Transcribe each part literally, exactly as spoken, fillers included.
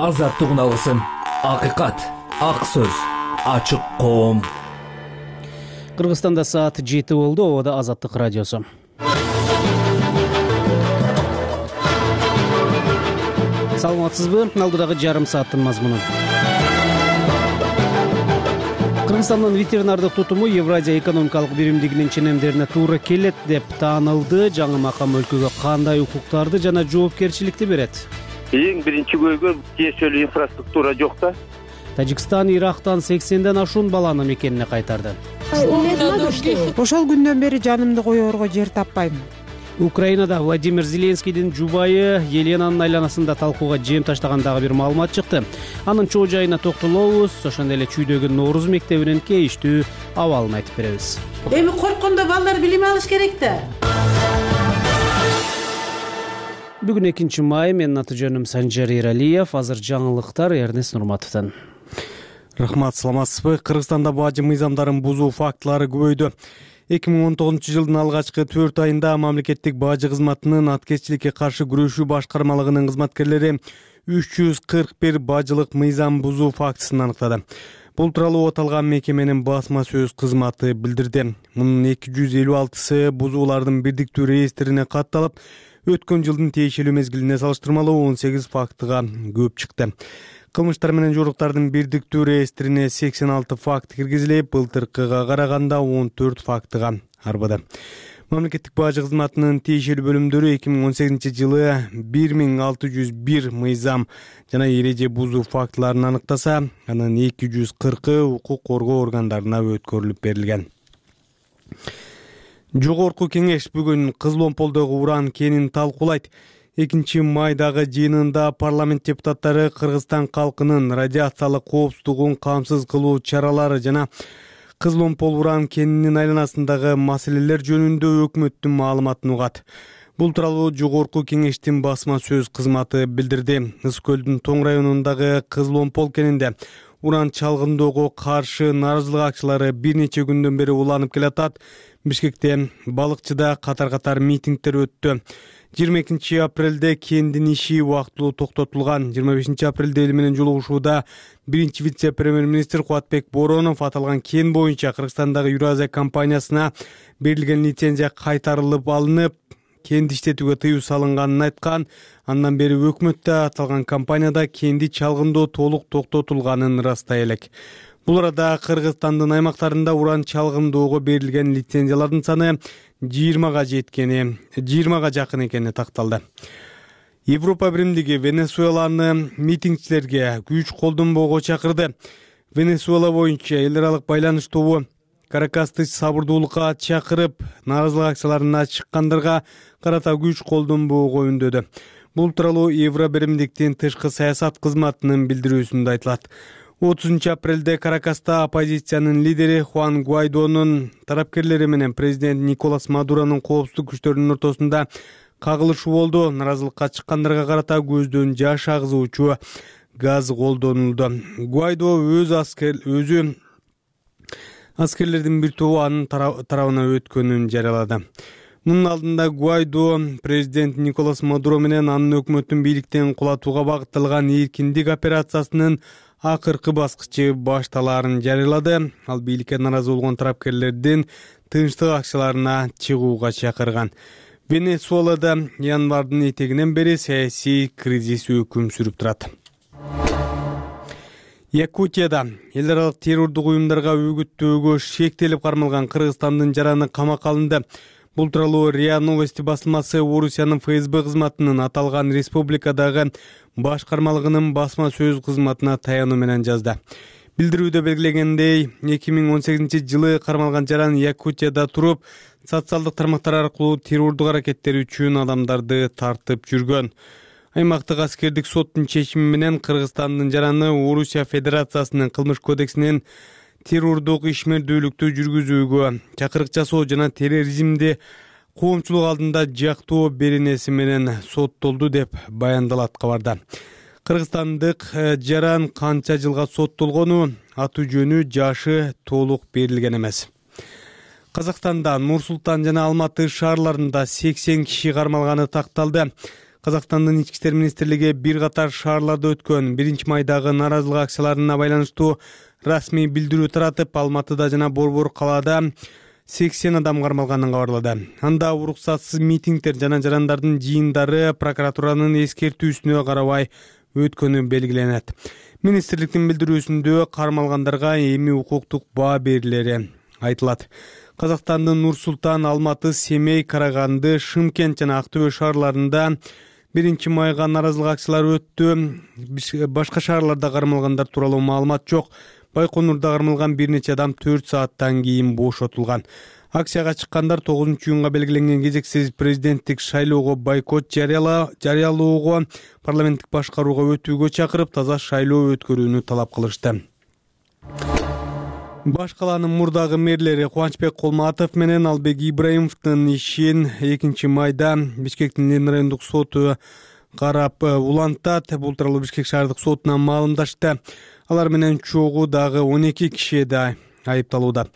азаттык үналысын, акыйкат, ак сөз, ачык коом. Кыргызстанда саат жети болду. Обода Азаттык радиосу. Саламатсызбы? Алдыдагы жарым сааттын мазмуну. Кыргызстандын ветеринардык тутуму Евразия экономикалык биримдигинин ченемдерине туура келет деп таанылды. Жаңы макам өлкөгө кандай укуктарды жана жоопкерчиликти берет? Эң биринчи көйгөй тиешелүү инфраструктура жок да. Тажикстан Ирактан сексенден ашуун баланы мекенине кайтарды. Ошол күндөн бери жанымды коерго жер таппайм. Украинада Владимир Зеленскийдин жубайы Еленанын айланасында талкууга жем таштагандагы бир маалымат чыкты. Анын чоо жайына токтолобуз, ошондой эле чүйдөгү Нооруз мектебинин кейиштүү абалын айтып беребиз. Эми корккондо балдар билим алыш керек да. Бүгүн экинчи май, менин аты жөнүм Санжар Эралиев. Азыр жаңылыктар Эрнест Нурматовдон. Рахмат, саламатсызбы? Кыргызстанда бажы мыйзамдарын бузуу фактылары көбөйдү. эки миң он тогузунчу жылдын алгачкы төрт айында мамлекеттик бажы кызматынын аткезчиликке каршы күрөшүү башкармалыгынын кызматкерлери үч жүз кырк бир бажылык мыйзам бузуу фактысын аныктады. Бул тууралуу аталган мекеменин басма сөз кызматы билдирди. Мунун эки жүз элүү алтысы бузуулардын бирдиктүү реестрине катталып, өткөн жылдын тиешелүү мезгилине салыштырмалуу он сегиз фактыга көп чыкты. Кылмыштар менен жоруктардын бирдиктүү реестрине сексен алты факт киргизилип, былтыркыга караганда он төрт фактыга арбады. Мамлекеттик бажы кызматынын тиешелүү бөлүмдөрү эки миң он сегизинчи жылы бир миң алты жүз бир мыйзам жана эреже бузуу фактыларын аныктаса, анын эки жүз кыркы укук коргоо органдарына өткөрүлүп берилген. Жогорку кеңеш бүгүн Кызыл Омполдогу уран кенин талкуулайт. экинчи майдагы жыйынында парламент депутаттары Кыргызстан калкынын радиациялык коопсуздугун камсыз кылуу чаралары жана Кызыл Омпол уран кенинин айланасындагы маселелер жөнүндө өкмөттүн маалыматын угат. Бул тууралуу жогорку кеңештин басма сөз кызматы билдирди. Ысык көлдүн Тоң районундагы Кызыл Омпол кенинде уран чалгындоого каршы нааразылык акчылары бир нече күндөн бери уланып келатат. Бишкекте балыкчыда катар-катар митингдер өттү. жыйырма экинчи апрелде кендин иши убактылуу токтотулган. жыйырма бешинчи апрелде эл менен жолугушууда биринчи вице-премьер-министр Кубатбек Боронов аталган кен боюнча Кыргызстандагы Евразия компаниясына берилген лицензия кайтарылып алынып, кенди иштетүүгө тыюу салынганын айткан. Андан бери өкмөт да аталган компанияда кенди чалгындоо толук токтотулганын ырастай элек. Бул арада Кыргызстандын аймактарында уран чалгындоого берилген лицензиялардын саны жыйырмага жеткени, жыйырмага жакын экени такталды. Европа биримдиги Венесуэланы митингчилерге күч колдонбоого чакырды. Венесуэла боюнча эл аралык байланыш тобу Каракасты сабырдуулукка чакырып, нааразылык акцияларына чыккандарга карата күч колдонбоого үндөдү. Бул тууралуу Евро биримдиктин тышкы саясат кызматынын билдирүүсүндө айтылат. отузунчу апрелде Каракаста оппозициянын лидери Хуан Гуайдонун тарапкерлери менен президент Николас Мадуронун коопсуздук күчтөрүнүн ортосунда кагылышуу болду. Наразылыкка чыккандарга карата көздөн жаш агызуучу газ колдонулду. Гуайдо өз аскер өзү аскерлердин бир тобу анын тарабына өткөнүн жарыялады. Мунун алдында Гуайдо президент Николас Мадуро менен анын өкмөттүн бийликтен кулатууга багытталган эркиндик операциясынын акыркы баскычы башталаарын жарыялады. Ал бийликке наразы болгон тарапкерлердин тынчтык акчаларына чыгууга чакырган. Венесуэлада январдын этегинен бери саясий кризис өкүм сүрүп турат. Якутияда эл аралык террордук уюмдарга үгүттөөгө шектелип кармалган Кыргызстандын жараны камакка алынды. Бул тууралуу РИА Новости басылмасы Орусиянын ФСБ кызматынын аталган республикадагы башкармалыгынын басма сөз кызматына таянуу менен жазды. Билдирүүдө белгилегендей, эки миң он сегизинчи жылы кармалган жаран Якутияда туруп, социалдык тармактар аркылуу террордук аракеттер үчүн адамдарды тартып жүргөн. Аймактык аскердик соттун чечими менен Кыргызстандын жараны Орусия Федерациясынын кылмыш кодексинин террордук ишмердүүлүктү жүргүзүүгө, чакырык жасоо жана терроризмди коомчулук алдында жактоо беренеси менен соттолду деп баяндалат кабарда. Кыргызстандык жаран канча жылга соттолгону, аты жөнү, жашы толук берилген эмес. Казакстанда Нур Султан жана Алматы шаарларында сексен киши кармалганы такталды. Казакстандын ички иштер министрлиги бир катар шаарларда өткөн биринчи майдагы нааразылык акцияларына байланыштуу расмий билдирүү таратып, Алматыда жана Борбор калаада сексен адам кармалганын кабарлады. Анда уруксатсыз митингдер жана жарандардын жыйындары прокуратуранын эскертүүсүнө карабай өткөнү белгиленет. Министрликтин билдирүүсүндө кармалгандарга эми укуктук баа берилери айтылат. Казакстандын Нур-Султан, Алматы, Семей, Караганды, Шымкент жана Актөбө шаарларында биринчи майга нааразылык акциялары өттү. Башка шаарларда кармалгандар тууралуу маалымат жок. Байконурда кармалган бир нече адам төрт сааттан кийин бошотулган. Акцияга чыккандар тогузунчу июнга белгиленген кезексиз президенттик шайлоого бойкот жарыялоого, парламенттик башкарууга өтүүгө чакырып, таза шайлоо өткөрүүнү талап кылышты. Баш калаанын мурдагы мэрлери Кубанычбек Колматов менен Албек Ибраимовдун ишин экинчи майда Бишкектин Ленин райондук соту карап улантат. Бул тууралуу Бишкек шаардык сотуна маалымдашты. Алар менен чогуу дагы он эки киши да айыпталууда.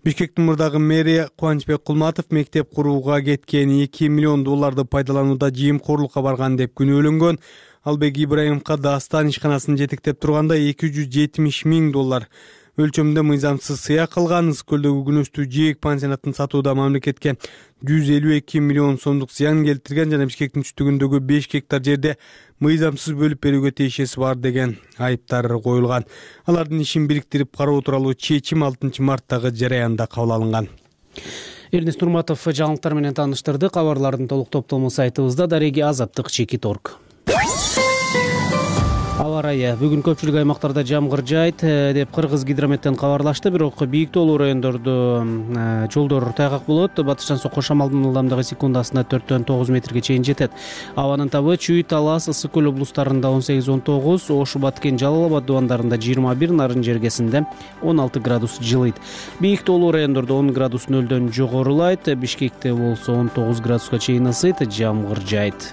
Бишкектин мурдагы мэри Кубанычбек Колматов мектеп курууга кеткен эки миллион долларды пайдаланууда жыйымкорлукка барган деп күнөөлөнгөн. Албек Ибраимовго Дастан ишканасын жетектеп турганда эки жүз жетимиш миң доллар өлчөмдө мыйзамсыз сыяк кылган. Ысык көлдөгү күнөстүү жээк пансионатын сатууда мамлекетке жүз элүү эки миллион сомдук зыян келтирген жана Бишкектин түштүгүндөгү беш гектар жерде мыйзамсыз бөлүп берүүгө тиешеси бар деген айыптар коюлган. Алардын ишин бириктирип кароо тууралуу чечим алтынчы марттагы жараянда кабыл алынган. Эрнест Нурматов жаңылыктар менен тааныштырды. Кабарлардын толук топтому сайтыбызда дареги азаттык чекит орг. Аба ырайы бүгүн көпчүлүк аймактарда жамгыр жаайт деп Кыргыз гидрометтен кабарлашты. Бирок бийик тоолуу райондордо жолдор тайгак болот. Батыштан сокко шамалдын ылдамдыгы секундасына төрттөн тогуз метрге чейин жетет. Абанын табы Чүй, Талас, Ысык көл облустарында он сегиз он тогуз, Ош, Баткен, Жалал Абад дубандарында жыйырма бир, Нарын жергесинде он алты градус жылыйт. Бийик тоолуу райондордо он градус нөлдөн жогорулайт. Бишкекте болсо он тогуз градуска чейин ысыйт, жамгыр жаайт.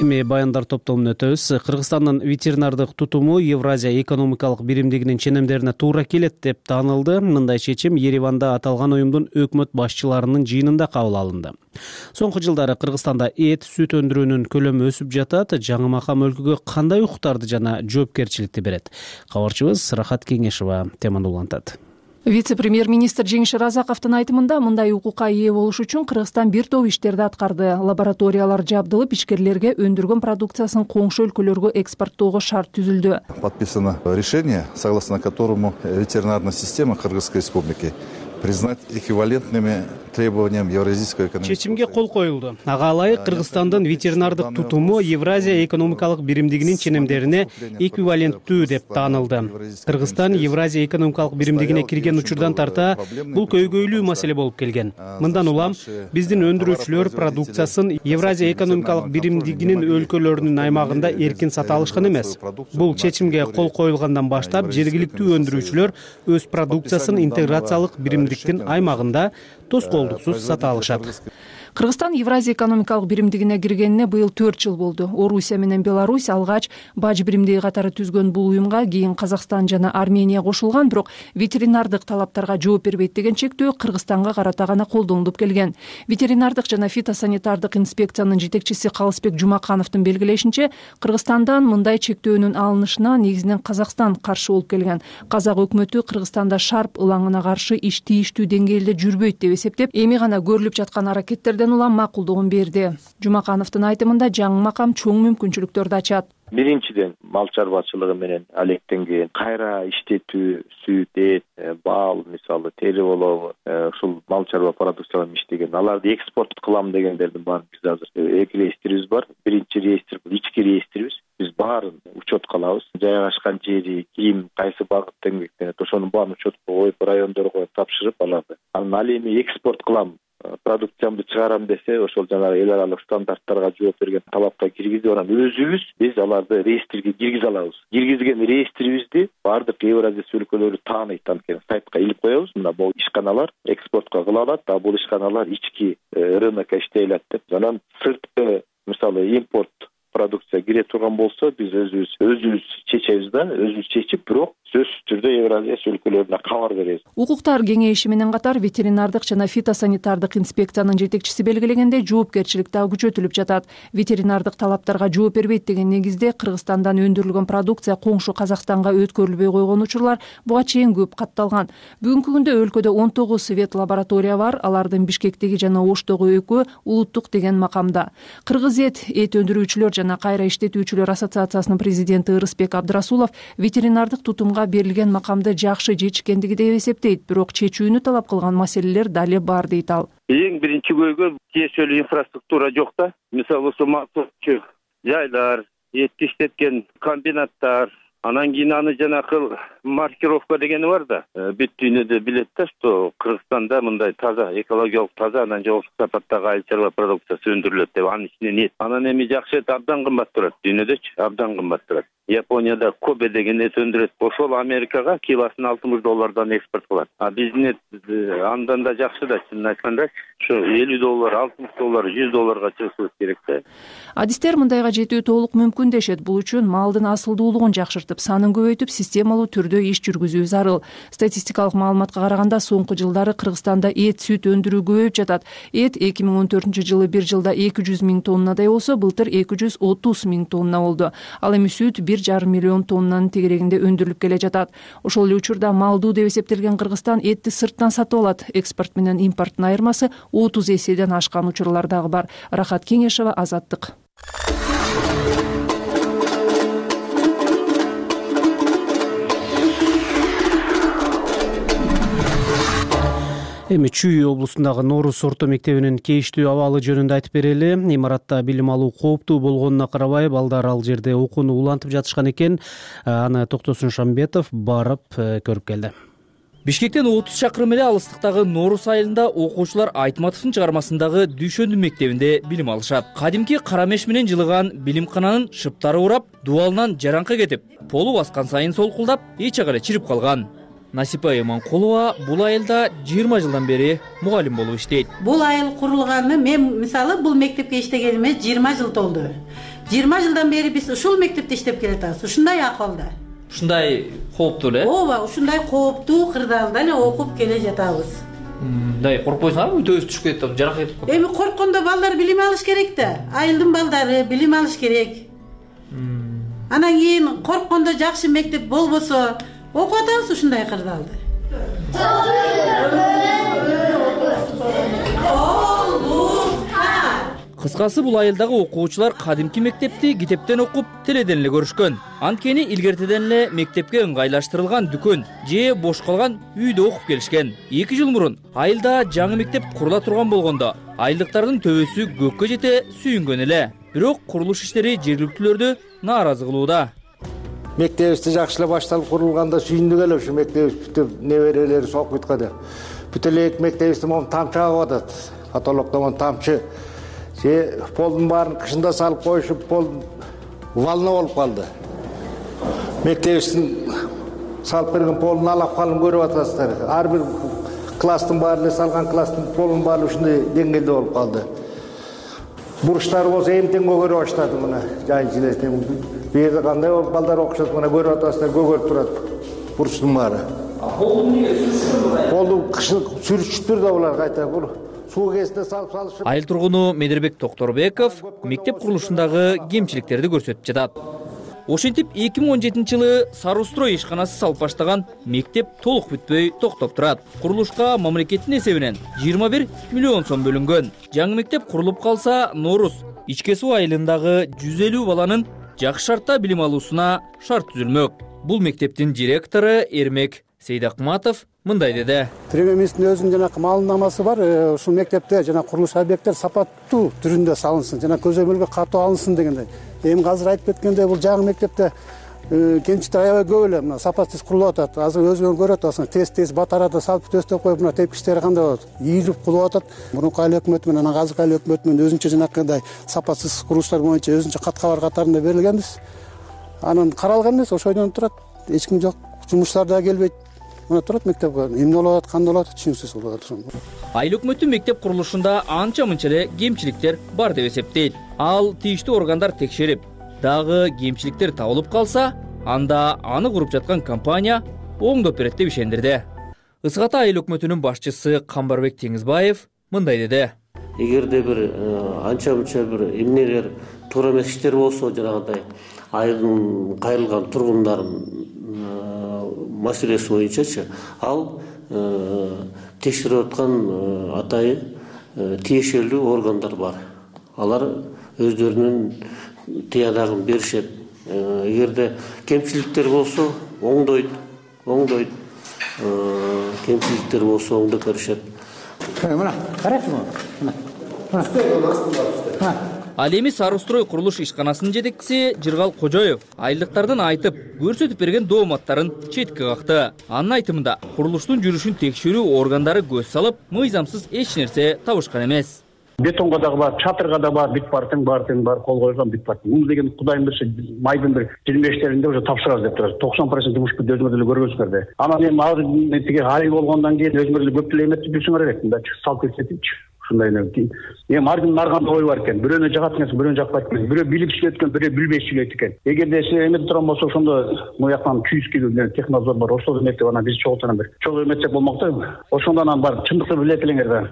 Эми баяндар топтомуна өтөбүз. Кыргызстандын ветеринардык тутуму Евразия экономикалык биримдигинин ченемдерине туура келет деп таанылды. Мындай чечим Ереванда аталган уюмдун өкмөт башчыларынын жыйынында кабыл алынды. Соңку жылдары Кыргызстанда эт, сүт өндүрүүнүн көлөмү өсүп жатат. Жаңы макам өлкөгө кандай укуктарды жана жоопкерчиликти берет? Кабарчыбыз Рахат Кеңешова теманы улантат. Вице-премьер-министр Жеңиш Разаковдун айтымында мындай укукка ээ болуш үчүн Кыргызстан бир топ иштерди аткарды. Лабораториялар жабдылып, ишкерлерге өндүргөн продукциясын коңшу өлкөлөргө экспорттоого шарт түзүлдү. Подписано решение, согласно которому ветеринарная система Кыргызской республики признать эквивалентными требованиям Евразийского экономического Чечимге кол коюлду. Ага ылайык Кыргызстандын ветеринардык тутуму Евразия экономикалык биримдигинин ченемдерине эквиваленттүү деп таанылды. Кыргызстан Евразия экономикалык биримдигине кирген учурдан тарта бул көйгөйлүү маселе болуп келген. Мындан улам биздин өндүрүүчүлөр продукциясын Евразия экономикалык биримдигинин өлкөлөрүнүн аймагында эркин сата алышкан эмес. Бул чечимге кол коюлгандан баштап жергиликтүү өндүрүүчүлөр өз продукциясын интеграциялык биримдиктин аймагында тоскоолдуксуз сата алышат. Кыргызстан Евразия экономикалык биримдигине киргенине быйыл төрт жыл болду. Орусия менен Беларусь алгач баж биримдиги катары түзгөн бул уюмга кийин Казакстан жана Армения кошулган, бирок ветеринардык талаптарга жооп бербейт деген чектөө Кыргызстанга карата гана колдонулуп келген. Ветеринардык жана фитосанитардык инспекциянын жетекчиси Калысбек Жумакановдун белгилешинче, Кыргызстандан мындай чектөөнүн алынышына негизинен Казакстан каршы болуп келген. Казак өкмөтү Кыргызстанда шарп ылаңына каршы иш тийиштүү деңгээлде жүрбөйт деп эсептеп, эми гана көрүлүп жаткан аракеттерден улам макулдугун берди. Жумакановдун айтымында жаңы макам чоң мүмкүнчүлүктөрдү ачат. Биринчиден мал чарбачылыгы менен алектенген кайра иштетүү, сүт, эт, бал, мисалы тери болобу, ушул мал чарба продукцияларын иштеген, аларды экспорт кылам дегендердин баарын биз азыр эки реестрибиз бар. Биринчи реестр бул ички реестрибиз. Биз баарын учетко алабыз. Жайгашкан жери, ким, кайсы багытта эмгектенет, ошонун баарын учетко коюп, райондорго тапшырып алады. Анан ал эми экспорт кылам, продукциямды чыгарам десе, ошол жанагы эл аралык стандарттарга жооп берген талапка киргизип анан өзүбүз биз аларды реестрге киргизе алабыз. Киргизген реестрибизди баардык Евразия өлкөлөрү тааныйт, анткени сайтка илип коебуз. Мына бул ишканалар экспортко кыла алат, а бул ишканалар ички рынокко иштей алат деп. Анан сырткы мисалы импорт продукция кире турган болсо биз өзүбүз өзүбүз чечебиз да, өзүбүз чечип, бирок сөзсүз түрдө Евразия өлкөлөрүнө кабар беребиз. Укуктар кеңеши менен катар ветеринардык жана фитосанитардык инспекциянын жетекчиси белгилегендей, жоопкерчилик дагы күчөтүлүп жатат. Ветеринардык талаптарга жооп бербейт деген негизде Кыргызстандан өндүрүлгөн продукция коңшу Казакстанга өткөрүлбөй койгон учурлар буга чейин көп катталган. Бүгүнкү күндө өлкөдө он тогуз вет лаборатория бар, алардын Бишкектеги жана Оштогу экөө улуттук деген макамда. Кыргыз эт эт өндүрүүчүлөр жана кайра иштетүүчүлөр ассоциациясынын президенти Ырысбек Абдрасулов ветеринардык тутумга берилген макамды жакшы чечкендиги деп эсептейт, бирок чечүүнү талап кылган маселелер дали бар дейт ал. Эң биринчи көйгөй тиешелүү инфраструктура жок да. Мисалы ушул жайлар, этти иштеткен комбинаттар, анан кийин аны жанакы маркировка дегени бар да. Бүт дүйнөдө билет да, что Кыргызстанда мындай таза, экологиялык таза, анан жоопсуз сапаттагы айыл чарба продукциясы өндүрүлөт деп анын ичинен эт. Анан эми жакшы эт абдан кымбат турат, дүйнөдөчү абдан кымбат турат. Японияда Кобе деген эт өндүрөт. Ошол Америкага килосын алтымыш доллардан экспорт кылат. А биздин эт андан да жакшы да, чынын айтканда, ушу элүү доллар, алтымыш доллар, жүз долларга чыгышыбыз керек да. Адистер мындайга жетүү толук мүмкүн дешет. Бул үчүн малдын асылдуулугун жакшыртып, санын көбөйтүп, системалуу түрдө иш жүргүзүү зарыл. Статистикалык маалыматка караганда, соңку жылдары Кыргызстанда эт, сүт өндүрүү көбөйүп жатат. Эт эки миң он төртүнчү жылы бир жылда эки жүз миң тоннадай болсо, былтыр эки жүз отуз миң тонна болду. Ал эми сүт бир жарым миллион тоннанын тегерегинде өндүрүлүп келе жатат. Ошол эле учурда малдуу деп эсептелген Кыргызстан этти сырттан сатып алат. Экспорт менен импорттун айырмасы отуз эседен ашкан учурлар дагы бар. Рахат Кеңешева, Азаттык. Эми Чүй облусундагы Нооруз орто мектебинин кейиштүү абалы жөнүндө айтып берели. Имаратта билим алуу кооптуу болгонуна карабай, балдар ал жерде окууну улантып жатышкан экен. Аны Токтосун Шамбетов барып көрүп келди. Бишкектен отуз чакырым эле алыстыктагы Нооруз айылында окуучулар Айтматовдун чыгармасындагы Дүйшөндү мектебинде билим алышат. Кадимки кара меш менен жылыган билимкананын шыптары урап, дубалынан жараңкы кетип, полу баскан сайын солкулдап, эч жагы эле чирип калган. Насипа Эманкулова бул айылда жыйырма жылдан бери мугалим болуп иштейт. Бул айыл курулганы, мен мисалы бул мектепке иштегениме жыйырма жыл толду. жыйырма жылдан бери биз ушул мектепте иштеп келатабыз. Ушундай акыбалда. Ушундай кооптуу эле? Ооба, ушундай кооптуу кырдаалда эле окуп келе жатабыз. Мындай коркпойсуңарбы? Өтөбүз түшүп кетип, жаракат кетип калат. Эми корккондо балдар билим алыш керек да. Айылдын балдары билим алыш керек. Анан кийин корккондо жакшы мектеп болбосо окуп атабыз ушундай кырдаалды. Кыскасы, бул айылдагы окуучулар кадимки мектепти китептен окуп, теледен эле көрүшкөн. Анткени илгертеден эле мектепке ыңгайлаштырылган дүкөн же бош калган үйдө окуп келишкен. эки жыл мурун айылда жаңы мектеп курула турган болгондо айылдыктардын төбөсү көккө жете сүйүнгөн эле. Бирок курулуш иштери жергиликтүүлөрдү нааразы кылууда. Мектебибизди жакшылап башталып курулганда сүйүндүк эле ушу мектебибиз бүтүп неберелери окуйт да. Бүт эле мектебибизде момун тамчы агып атат. Потолоктон тамчы. Же полдун баарын кышында салып коюшуп, пол волна болуп калды. Мектебибиздин салып берген полун алап калым көрүп атасыздар. Ар бир класстын баары эле салган класстын полунун баары ушундай деңгээлде болуп калды. Бурчтары болсо эмтең көгөрө баштады мына жайын жилесин. Бу жерде кандай балдар окушат, мына көрүп атасыздар, көгөрүп турат бурчтун баары. Полду эмнеге сүрүшүптүр? Полду кышын сүрүшүптүр да булар кайта бул. Суу кезинде салып салышып. Айыл тургуну Медербек Токторбеков мектеп курулушундагы кемчиликтерди көрсөтүп жатат. Ошентип эки миң он жетинчи жылы Сарустрой ишканасы салып баштаган мектеп толук бүтпөй токтоп турат. Курулушка мамлекеттин эсебинен жыйырма бир миллион сом бөлүнгөн. Жаңы мектеп курулуп калса, Нооруз ичке суу айылындагы жүз элүү баланын жакшы шартта билим алуусуна шарт түзүлмөк. Бул мектептин директору Эрмек Сейдакматов мындай деди. Премьер-министрдин өзүнүн жанагы маалымнамасы бар. Ушул мектепте жана курулуш объекттер сапаттуу түрүндө салынсын, жана көзөмөлгө катуу алынсын дегендей. Эми азыр айтып кеткендей, бул жаңы мектепте кемчиликтер аябай көп эле. Мына сапатсыз курулуп атат. Азыр өзүңөр көрүп атасың, тез-тез батарада салып төстөп коюп, мына тепкичтери кандай болот? Ийилип кулуп атат. Мурунку айыл өкмөтү менен азыркы айыл өкмөтү менен өзүнчө жанакындай сапатсыз курулуштар боюнча өзүнчө кат-кабар катарында берилгенбиз. Анан каралган эмес, ошойдон турат. Эч ким жок, жумуштар да келбейт. мына турат мектепке эмне болуп атат, кандай болуп атат түшүнүксүз болуп атат. Айыл өкмөтү мектеп курулушунда анча мынча эле кемчиликтер бар деп эсептейт. Ал тийиштүү органдар текшерип, дагы кемчиликтер табылып калса, анда аны куруп жаткан компания оңдоп берет деп ишендирди. Ысык Ата айыл өкмөтүнүн башчысы Камбарбек Теңизбаев мындай деди. Эгерде бир анча мынча бир эмнелер туура эмес иштер болсо, жанагындай айылдын кайрылган тургундардын маселеси боюнчачы, ал текшерип аткан атайын тиешелүү органдар бар. Алар өздөрүнүн тыянагын беришет. Эгерде кемчиликтер болсо оңдойт, оңдойт. Кемчиликтер болсо оңдоп беришет. Мына, карайсыңбы? Мына. Ал эми Сарыстрой курулуш ишканасынын жетекчиси Жыргал Кожоев айылдыктардын айтып, көрсөтүп берген дооматтарын четке какты. Анын айтымында, курулуштун жүрүшүн текшерүү органдары көз салып, мыйзамсыз эч нерсе табышкан эмес. Бетонго дагы бар, чатырга да бар, бүт бар, тең бар, тең бар, кол койгон бүт бар. Муну деген Кудайым берсе, майдын бир жыйырма бештеринде уже тапшырабыз деп турат. токсон процент жумуш бүттү, өзүңөр деле көргөнсүңөр да. Анан эми азыр тиги айыл болгондон кийин өзүңөр деле көп деле эметип жүрсүңөр керек. Мында салып кетсечи. Ушундай эле. Эми ар кимдин ар кандай ою бар экен. Бирөөнө жагат экен, бирөөнө жакпайт экен. Бирөө билип сүйлөйт экен, бирөө билбей сүйлөйт экен. Эгерде силер эметип турган болсо, ошондо мына жактан күйүскө технадзор бар, ошол эметип анан биз чогултуп анан бир чогуу эметсек болмок да. Ошондо анан бар чындыкты билет элеңер да.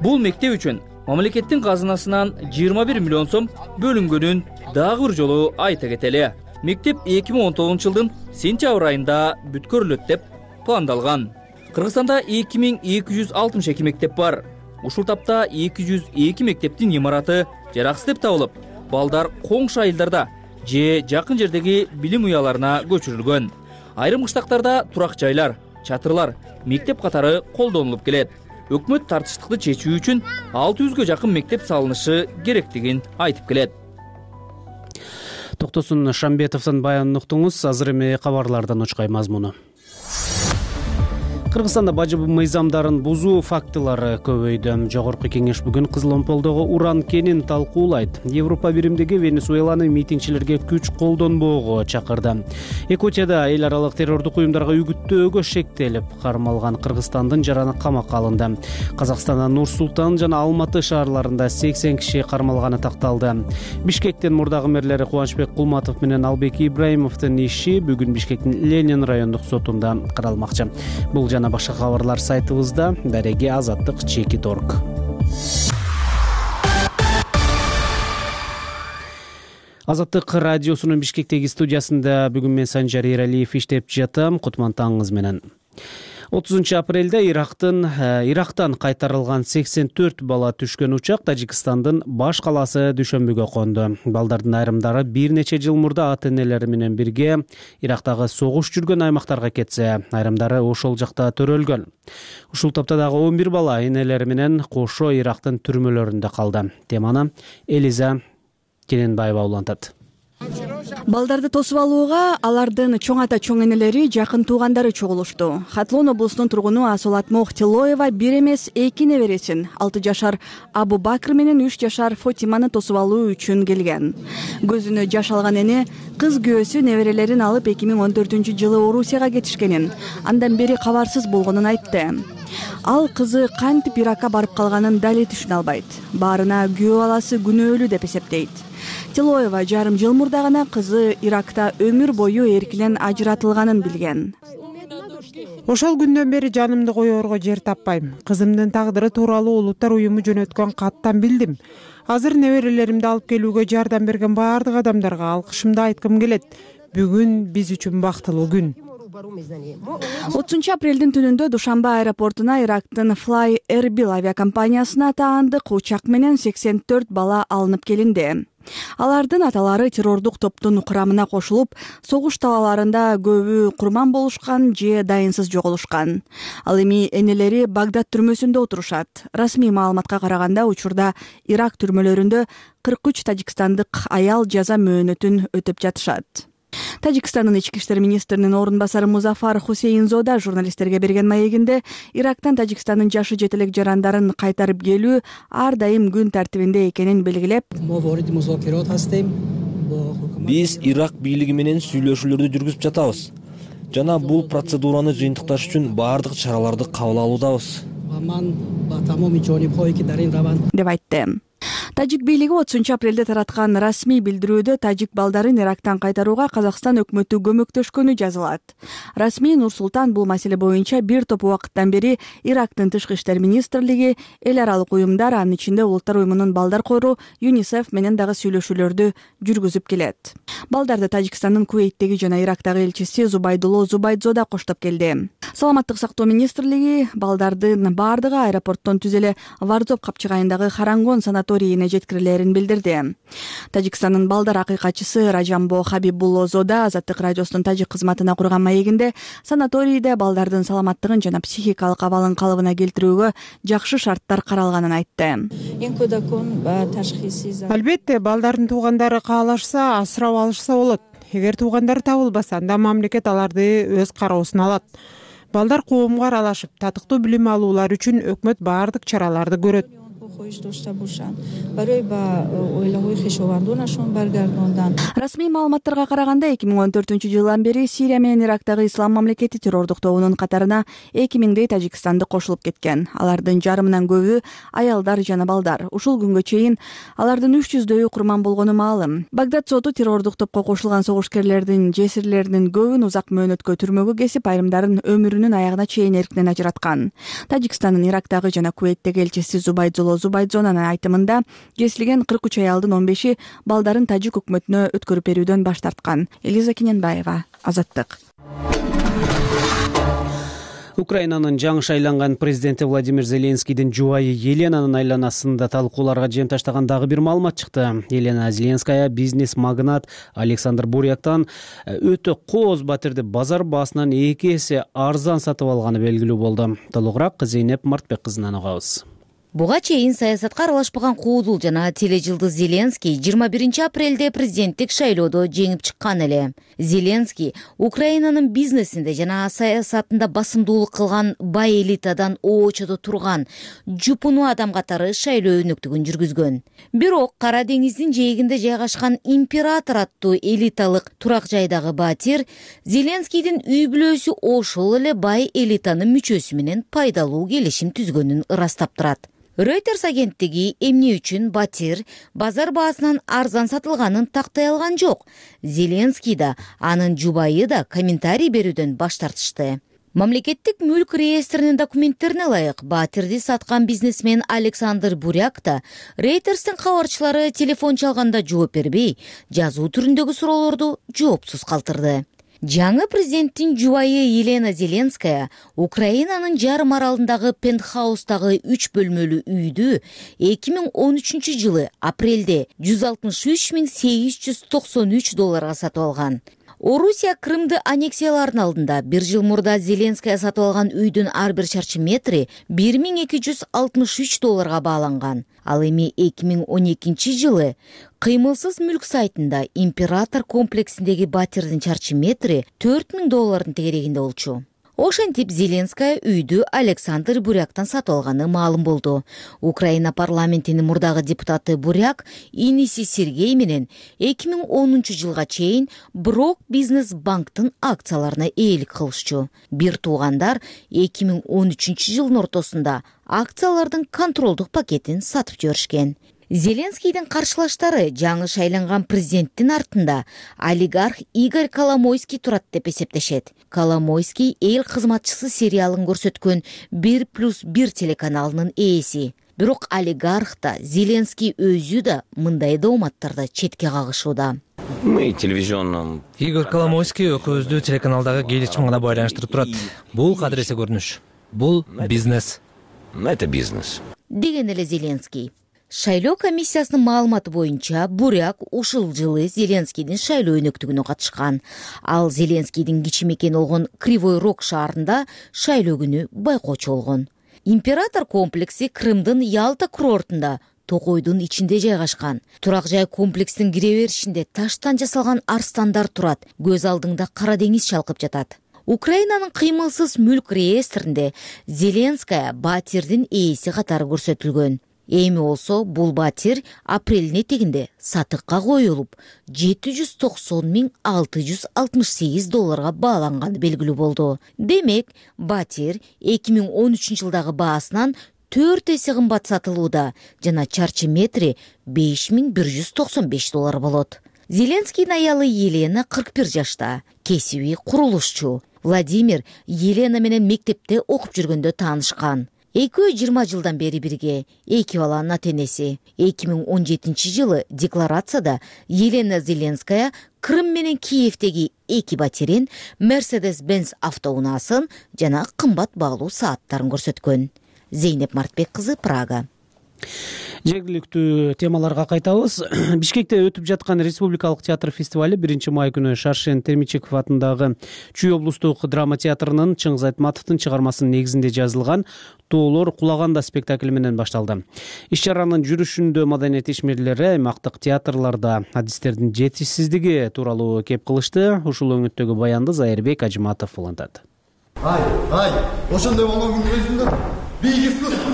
Бул мектеп үчүн мамлекеттин казынасынан жыйырма бир миллион сом бөлүнгөнүн дагы бир жолу айта кетели. Мектеп эки миң он тогузунчу жылдын сентябрь айында бүткөрүлөт деп пландалган. Кыргызстанда эки миң эки жүз алтымыш эки мектеп бар. Ушул тапта эки жүз эки мектептин имараты жараксыз деп табылып, балдар коңшу айылдарда же жакын жердеги билим уяларына көчүрүлгөн. Айрым кыштактарда турак жайлар, чатырлар, мектеп катары колдонулуп келет. Өкмөт тартыштыкты чечүү үчүн алты жүзгө жакын мектеп салынышы керектигин айтып келет. Токтосун Шамбетовдун баянын уктуңуз. Азыр эми кабарлардан учкай мазмуну. Кыргызстанда бажы мыйзамдарын бузуу фактылары көбөйдү. Жогорку кеңеш бүгүн Кызыл Омполдогу уран кенин талкуулайт. Европа биримдиги Венесуэланы митингчилерге күч колдонбоого чакырды. Якутияда эл аралык террордук уюмдарга үгүттөөгө шектелип кармалган Кыргызстандын жараны камакка алынды. Казакстандын Нур Султан жана Алматы шаарларында сексен киши кармалганы такталды. Бишкектин мурдагы мэрлери Кубанычбек Кулматов менен Албек Ибраимовдун иши бүгүн Бишкектин Ленин райондук сотунда каралмакчы. Бул жана башка кабарлар сайтыбызда. Дареги Азаттык Чекит орг. Азаттык радиосунун Бишкектеги студиясында бүгүн мен Санжар Эралиев иштеп жатам. Кутман таңыңыз менен. отузунчу апрелде Ирактын Ирактан кайтарылган сексен төрт бала түшкөн учак Тажикстандын баш калаасы Дүшөмбүгө конду. Балдардын айрымдары бир нече жыл мурда ата-энелери менен бирге Ирактагы согуш жүргөн аймактарга кетсе, айрымдары ошол жакта төрөлгөн. Ушул топто дагы он бир бала энелери менен кошо Ирактын түрмөлөрүндө калды. Теманы Элиза Кененбаева улантат. Балдарды тосуп алууга алардын чоң ата чоң энелери, жакын туугандары чогулушту. Хатлон облусунун тургуну Асолат Мохтилоева бир эмес эки небересин, алты жашар Абу Бакр менен үч жашар Фотиманы тосуп алуу үчүн келген. Көзүнө жаш алган эне кыз күйөөсү неберелерин алып эки миң он төртүнчү жылы Орусияга кетишкенин, андан бери кабарсыз болгонун айтты. Ал кызы кантип Иракка барып калганын дали түшүнө албайт. Баарына күйөө баласы күнөөлүү деп эсептейт. Тилоева жарым жыл мурда гана кызы Иракта өмүр бою эркинен ажыратылганын билген. Ошол күндөн бери жанымды коёрго жер таппайм. Кызымдын тагдыры тууралуу Улуттар уюму жөнөткөн каттан билдим. Азыр неберелеримди алып келүүгө жардам берген баардык адамдарга алкышымды айткым келет. Бүгүн биз үчүн бактылуу күн. отузунчу апрелдин түнүндө Душанба аэропортуна Ирактын Fly Erbil авиакомпаниясына таандык учак менен сексен төрт бала алынып келинди. Алардын аталары террордук топтун курамына кошулуп, согуш талааларында көбү курман болушкан же дайынсыз жоголушкан. Ал эми энелери Багдад түрмөсүндө отурушат. Расмий маалыматка караганда учурда Ирак түрмөлөрүндө кырк үч тажикстандык аял жаза мөөнөтүн өтөп жатышат. Тажикстандын ички иштер министринин орун басары Музафар Хусейнзода журналисттерге берген маегинде Ирактан Тажикстандын жашы жетелек жарандарын кайтарып келүү ар дайым күн тартибинде экенин белгилеп, биз Ирак бийлиги менен сүйлөшүүлөрдү жүргүзүп жатабыз. жана бул процедураны жыйынтыкташ үчүн баардык чараларды кабыл алуудабыз деп айтты. Тажик бийлиги отузунчу апрелде тараткан расмий билдирүүдө тажик балдарын Ирактан кайтарууга Казакстан өкмөтү көмөктөшкөнү жазылат. Расмий Нур-Султан бул маселе боюнча бир топ убакыттан бери Ирактын тышкы иштер министрлиги, эл аралык уюмдар, анын ичинде Улуттар уюмунун балдар кору ЮНИСЕФ менен дагы сүйлөшүүлөрдү жүргүзүп келет. Балдарды Тажикстандын Кувейттеги жана Ирактагы элчиси Зубайдулло Зубайдзо да коштоп келди. Саламаттык сактоо министрлиги балдардын баардыгы аэропорттон түз эле Вардоп капчыгайындагы Харангон санаторийине жеткирилерин билдирди. Тажикстандын балдар акыйкатчысы Ражамбо Хабибуллозо да Азаттык радиосунун тажик кызматына курган маегинде санаторийде балдардын саламаттыгын жана психикалык абалын калыбына келтирүүгө жакшы шарттар каралганын айтты. Албетте, балдардын туугандары каалашса, асырап алышса болот. Эгер туугандары табылбаса, анда мамлекет аларды өз кароосуна алат. Балдар коомго аралашып, татыктуу билим алуулар үчүн өкмөт баардык чараларды көрөт. Расмий маалыматтарга караганда эки миң он төртүнчү жылдан бери Сирия менен Ирактагы Ислам мамлекети террордук тобунун катарына эки миңдей тажикстандык кошулуп кеткен. Алардын жарымынан көбү аялдар жана балдар. Ушул күнгө чейин алардын үч жүздөйү курман болгону маалым. Багдад соту террордук топко кошулган согушкерлердин жесирлеринин көбүн узак мөөнөткө түрмөгө кесип, айрымдарын өмүрүнүн аягына чейин эркинен ажыраткан. Тажикстандын Ирактагы жана Кувейттеги элчиси Зубайдулло Зубайдзонун айтымында кесилген кырк үч аялдын он беши балдарын тажик өкмөтүнө өткөрүп берүүдөн баш тарткан. Элиза Кененбаева, Азаттык. Украинанын жаңы шайланган президенти Владимир Зеленскийдин жубайы Еленанын айланасында талкууларга жем таштаган дагы бир маалымат чыкты. Елена Зеленская бизнес магнат Александр Буряктан өтө кооз батирди базар баасынан эки эсе арзан сатып алганы белгилүү болду. Толугураак Зейнеп Мартбек кызынан угабыз. Буга чейин саясатка аралашпаган куудул жана тележылдыз Зеленский жыйырма биринчи апрелде президенттик шайлоодо жеңип чыккан эле. Зеленский Украинанын бизнесинде жана саясатында басымдуулук кылган бай элитадан оочодо турган жупуну адам катары шайлоо өнөктүгүн жүргүзгөн. Бирок Кара деңиздин жээгинде жайгашкан Император аттуу элиталык турак жайдагы батир Зеленскийдин үй бүлөсү ошол эле бай элитанын мүчөсү менен пайдалуу келишим түзгөнүн ырастап турат. Reuters агенттиги эмне үчүн батир базар баасынан арзан сатылганын тактай алган жок. Зеленский да, анын жубайы да комментарий берүүдөн баш тартышты. Мамлекеттик мүлк реестринин документтерине ылайык батирди саткан бизнесмен Александр Буряк да Reuters'тин кабарчылары телефон чалганда жооп бербей, жазуу түрүндөгү суроолорду жоопсуз калтырды. Жаңы президенттин жубайы Елена Зеленская Украинанын жарым аралындагы пентхаустагы үч бөлмөлүү үйдү эки миң он үчүнчү жылы апрелде жүз алтымыш үч миң сегиз жүз токсон үч долларга сатып алган. Орусия Крымды аннексиялардын алдында бир жыл мурда Зеленская сатып алган үйдүн ар бир чарчы метри бир миң эки жүз алтымыш үч долларга бааланган. Ал эми эки миң он экинчи жылы кыймылсыз мүлк сайтында Император комплексиндеги батирдин чарчы метри төрт миң доллардын тегерегинде болчу. Ошентип Зеленская үйдү Александр Буряктан сатып алганы маалым болду. Украина парламентинин мурдагы депутаты Буряк иниси Сергей менен эки миң онунчу жылга чейин Брок бизнес банктын акцияларына ээлик кылышчу. Бир туугандар эки миң он үчүнчү жылдын ортосунда акциялардын контролдук пакетин сатып жиберишкен. Зеленскийдин каршылаштары жаңы шайланган президенттин артында олигарх Игорь Коломойский турат деп эсептешет. Коломойский эл кызматчысы сериалын көрсөткөн бир плюс бир телеканалынын ээси. Бирок олигарх да Зеленский өзү да мындай дооматтарды четке кагышууда. Мы телевизионном Игорь Коломойский экөөбүздү телеканалдагы келишим гана байланыштырып турат. Бул кадыресе көрүнүш. Бул бизнес. Это бизнес. Деген эле Зеленский. Шайлоо комиссиясынын маалыматы боюнча Буряк ушул жылы Зеленскийдин шайлоо өнөктүгүнө катышкан. Ал Зеленскийдин кичи мекени болгон Кривой Рог шаарында шайлоо күнү байкоочу болгон. Император комплекси Крымдын Ялта курортунда токойдун ичинде жайгашкан. Турак жай комплекстин кире беришинде таштан жасалган арстандар турат. Көз алдыңда Кара деңиз чалкып жатат. Украинанын кыймылсыз мүлк реестринде Зеленская батирдин ээси катары көрсөтүлгөн. Эми болсо бул батир апрелдин этегинде сатыкка коюлуп, жети жүз токсон миң алты жүз алтымыш сегиз долларга бааланганы белгилүү болду. Демек, батир эки миң он үчүнчү жылдагы баасынан төрт эсе кымбат сатылууда жана чарчы метри беш миң бир жүз токсон беш доллар болот. Зеленскийдин аялы Елена кырк бир жашта, кесиби курулушчу. Владимир Елена менен мектепте окуп жүргөндө таанышкан. Экөө жыйырма жылдан бери бирге, эки баланын ата-энеси. эки миң он жетинчи жылы декларацияда Елена Зеленская Крым менен Киевдеги эки батирин, Mercedes-Benz автоунаасын жана кымбат баалуу сааттарын көрсөткөн. Зейнеп Мартбек кызы, Прага. Жергиликтүү темаларга кайтабыз. Бишкекте өтүп жаткан Республикалык театр фестивали биринчи май күнү Шаршен Термичеков атындагы Чүй облустук драма театрынын Чыңгыз Айтматовдун чыгармасынын негизинде жазылган Тоолор кулаганда спектакли менен башталды. Иш-чаранын жүрүшүндө маданият ишмерлери аймактык театрларда адистердин жетишсиздиги тууралуу кеп кылышты. Ушул өңүттөгү баянды Зайырбек Ажыматов улантат. Ай, ай, ошондой болгон күндүн өзүндө бийик искусство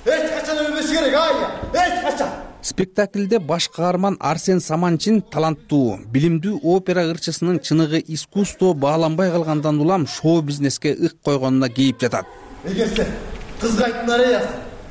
эч качан өлбөшү керек, ай, эч качан. Спектакльде баш каарман Арсен Саманчин таланттуу, билимдүү опера ырчысынын чыныгы искусство бааланбай калгандан улам шоу-бизнеске ык койгонуна кейип жатат. Эгер сен кызга айттың ареясы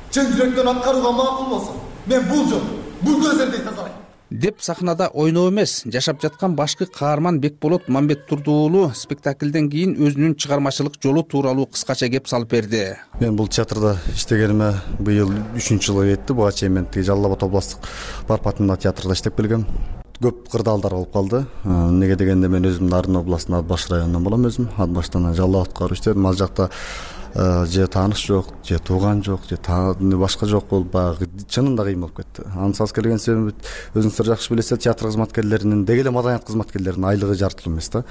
чын жүрөктөн аткарууга макул болсо, мен бул жол, бул көзөрдү тазалайм деп сахнада ойноо эмес, жашап жаткан башкы каарман Бекболот Мамбеттурду уулу спектакльден кийин өзүнүн чыгармачылык жолу тууралуу кыскача кеп салып берди. Мен бул театрда иштегениме быйыл үчүнчү жылга кетти. Буга чейин мен тиги Жалал Абад областтык Барп атындагы театрда иштеп келгем. Көп кырдаалдар болуп калды. Неге дегенде мен өзүм Нарын областынын Ат баш районунан болом өзүм. Ат баштан Жалал Абадка барып иштедим. Ал жакта же тааныш жок, же тууган жок, же башка жок болуп баягы чынында кыйын болуп кетти. Анын алып келген себеби өзүңүздөр жакшы билесиздер, театр кызматкерлеринин, деги эле маданият кызматкерлеринин айлыгы жартылуу эмес да.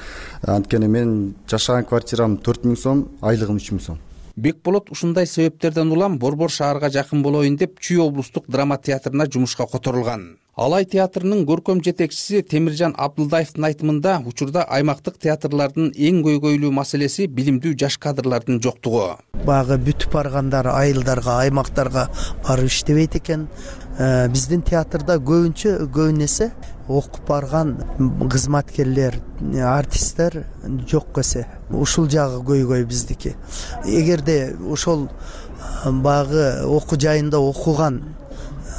Анткени мен жашаган квартирам төрт миң сом, айлыгым үч миң сом. Бекболот ушундай себептерден улам Борбор шаарга жакын болоюн деп Чүй облустук драма театрына жумушка которулган. Алай театрынын көркөм жетекчиси Темиржан Абдылдаевдин айтымында учурда аймактык театрлардын эң көйгөйлүү маселеси билимдүү жаш кадрлардын жоктугу. Багы бүтүп баргандар айылдарга, аймактарга барып иштебейт экен. Биздин театрда көбүнчө көбүн эсе окуп барган кызматкерлер, артисттер жок эсе. Ушул жагы көйгөй биздики. Эгерде ошол багы окуу жайында окуган,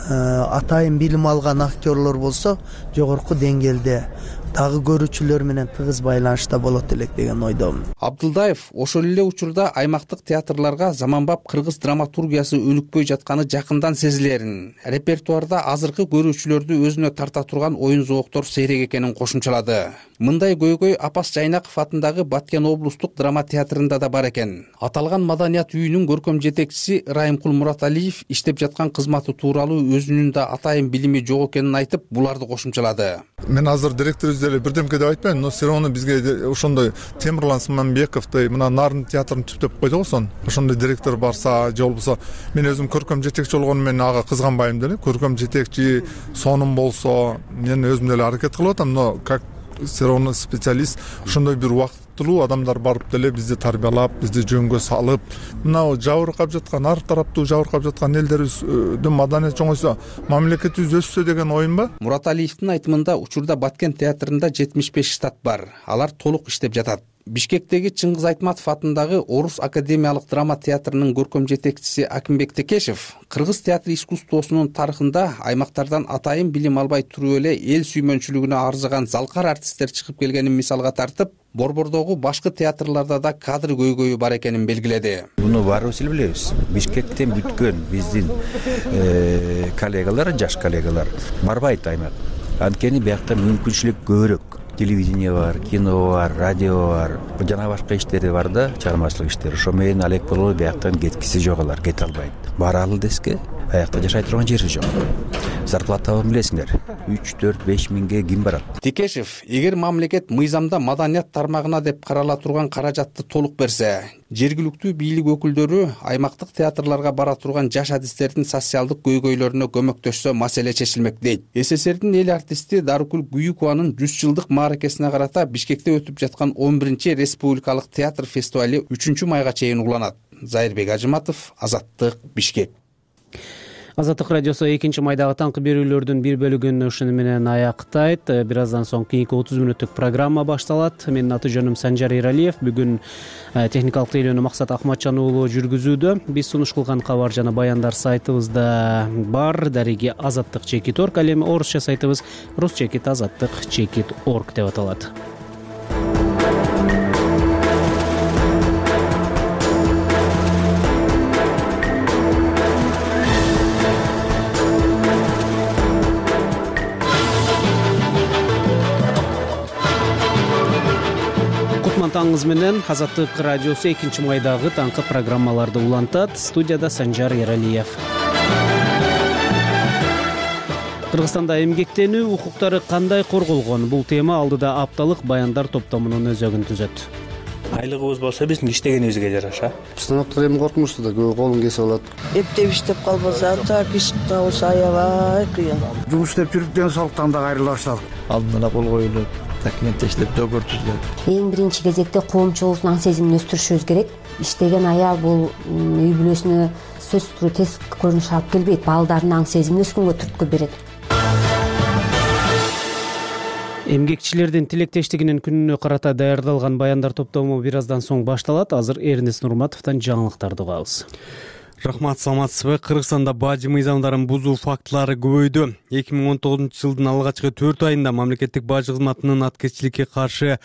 атайын билим алган актерлор болсо, жогорку деңгээлде дагы көрүүчүлөр менен тыгыз байланышта болот элек деген ойдомун. Абдылдаев ошол эле учурда аймактык театрларга заманбап кыргыз драматургиясы өнүкпөй жатканы жакындан сезилерин, репертуарда азыркы көрүүчүлөрдү өзүнө тарта турган оюн зооктор сейрек экенин кошумчалады. Мындай көйгөй Апас Жайнаков атындагы Баткен облустук драма театрында да бар экен. Аталган маданият үйүнүн көркөм жетекчиси Райымкул Мураталиев иштеп жаткан кызматы тууралуу өзүнүн да атайын билими жок экенин айтып, буларды кошумчалады. Мен азыр директор деле бирдемке деп айтпайм, но все равно бизге ошондой Темирлан Сыманбековдой мына Нарын театрын түптөп койдук сон. Ошондой директор барса, же болбосо мен өзүм көркөм жетекчи болгону менен ага кызганбайм деле. Көркөм жетекчи сонум болсо, мен өзүм деле аракет кылып атам, но как все равно специалист ошондой бир убактылуу адамдар барып деле бизди тарбиялап, бизди жөнгө салып, мына жабыркап жаткан, ар тараптуу жабыркап жаткан элдерибиздин маданият чоңойсо, мамлекетибиз өссө деген оюм ба? Мураталиевдин айтымында учурда Баткен театрында жетимиш беш штат бар. Алар толук иштеп жатат. Бишкектеги Чыңгыз Айтматов атындагы Орус академиялык драма театрынын көркөм жетекчиси Акимбек Текешев кыргыз театр искусствосунун тарыхында аймактардан атайын билим албай туруп эле эл сүймөнчүлүгүнө арзыган залкар артисттер чыгып келгенин мисалга тартып, Борбордогу башкы театрларда да кадр көйгөйү бар экенин белгиледи. Буну баарыбыз эле билебиз. Бишкектен бүткөн биздин коллегалар, жаш коллегалар барбайт аймак. Анткени биякта мүмкүнчүлүк көбүрөөк. Телевидение бар, кино бар, радио бар, жана башка иштери бар да, чыгармачылык иштери. Ошо менен алек болуп бияктан кеткиси жок, алар кете албайт. Баралы деске, аякта жашай турган жери жок. Зарплатабы билесиңер, үч төрт беш миңге ким барат? Текешев, эгер мамлекет мыйзамда маданият тармагына деп карала турган каражатты толук берсе, жергиликтүү бийлик өкүлдөрү аймактык театрларга бара турган жаш адистердин социалдык көйгөйлөрүнө көмөктөшсө, маселе чечилмек дейт. СССРдин эл артисти Дарыкүл Гүйүкованын жүз жылдык мааракесине карата Бишкекте өтүп жаткан он биринчи республикалык театр фестивали үчүнчү майга чейин уланат. Зайырбек Ажыматов, Азаттык, Бишкек. Азаттык радиосу экинчи майдагы таңкы берүүлөрдүн бир бөлүгүн ушуну менен аяктайт. Бир аздан соң кийинки отуз мүнөттүк программа башталат. Менин аты жөнүм Санжар Эралиев. Бүгүн техникалык тейлөөнү Максат Акматжан уулу жүргүзүүдө. Биз сунуш кылган кабар жана баяндар сайтыбызда бар. Дареги азаттык чекит орг. Ал эми орусча сайтыбыз рус чекит азаттык чекит орг деп аталат. Таңыңыз менен Азаттык радиосу экинчи майдагы таңкы программаларды улантат. Студияда Санжар Эралиев. Кыргызстанда эмгектенүү укуктары кандай корголгон? Бул тема алдыда апталык баяндар топтомунун өзөгүн түзөт. Айлыгыбыз болсо биздин иштегенибизге жараша. Станоктор эми кортмушту да, көбү колун кесип алат. Эптеп иштеп калбаса, прописка болсо аябай кыйын. Жумуш иштеп жүрүп ден соолуктан да кайрыла баштадык. Алдын ала кол коюлуп, документтештирип, договор түзүлөт. Эң биринчи кезекте коомчулуктун аң сезимин өстүрүшүбүз керек. Иштеген аял бул үй бүлөсүнө сөзсүз түрдө тез көрүнүш алып келбейт, балдардын аң сезимин өскөнгө түрткү берет. Эмгекчилердин тилектештигинин күнүнө карата даярдалган баяндар топтому бир аздан соң башталат. Азыр Эрнест Нурматовдон жаңылыктарды угабыз. Рахмат, саламатсызбы? Кыргызстанда бажы мыйзамдарын бузуу фактылары көбөйдү. эки миң он тогузунчу жылдын алгачкы төрт айында мамлекеттик бажы кызматынын аткезчиликке каршы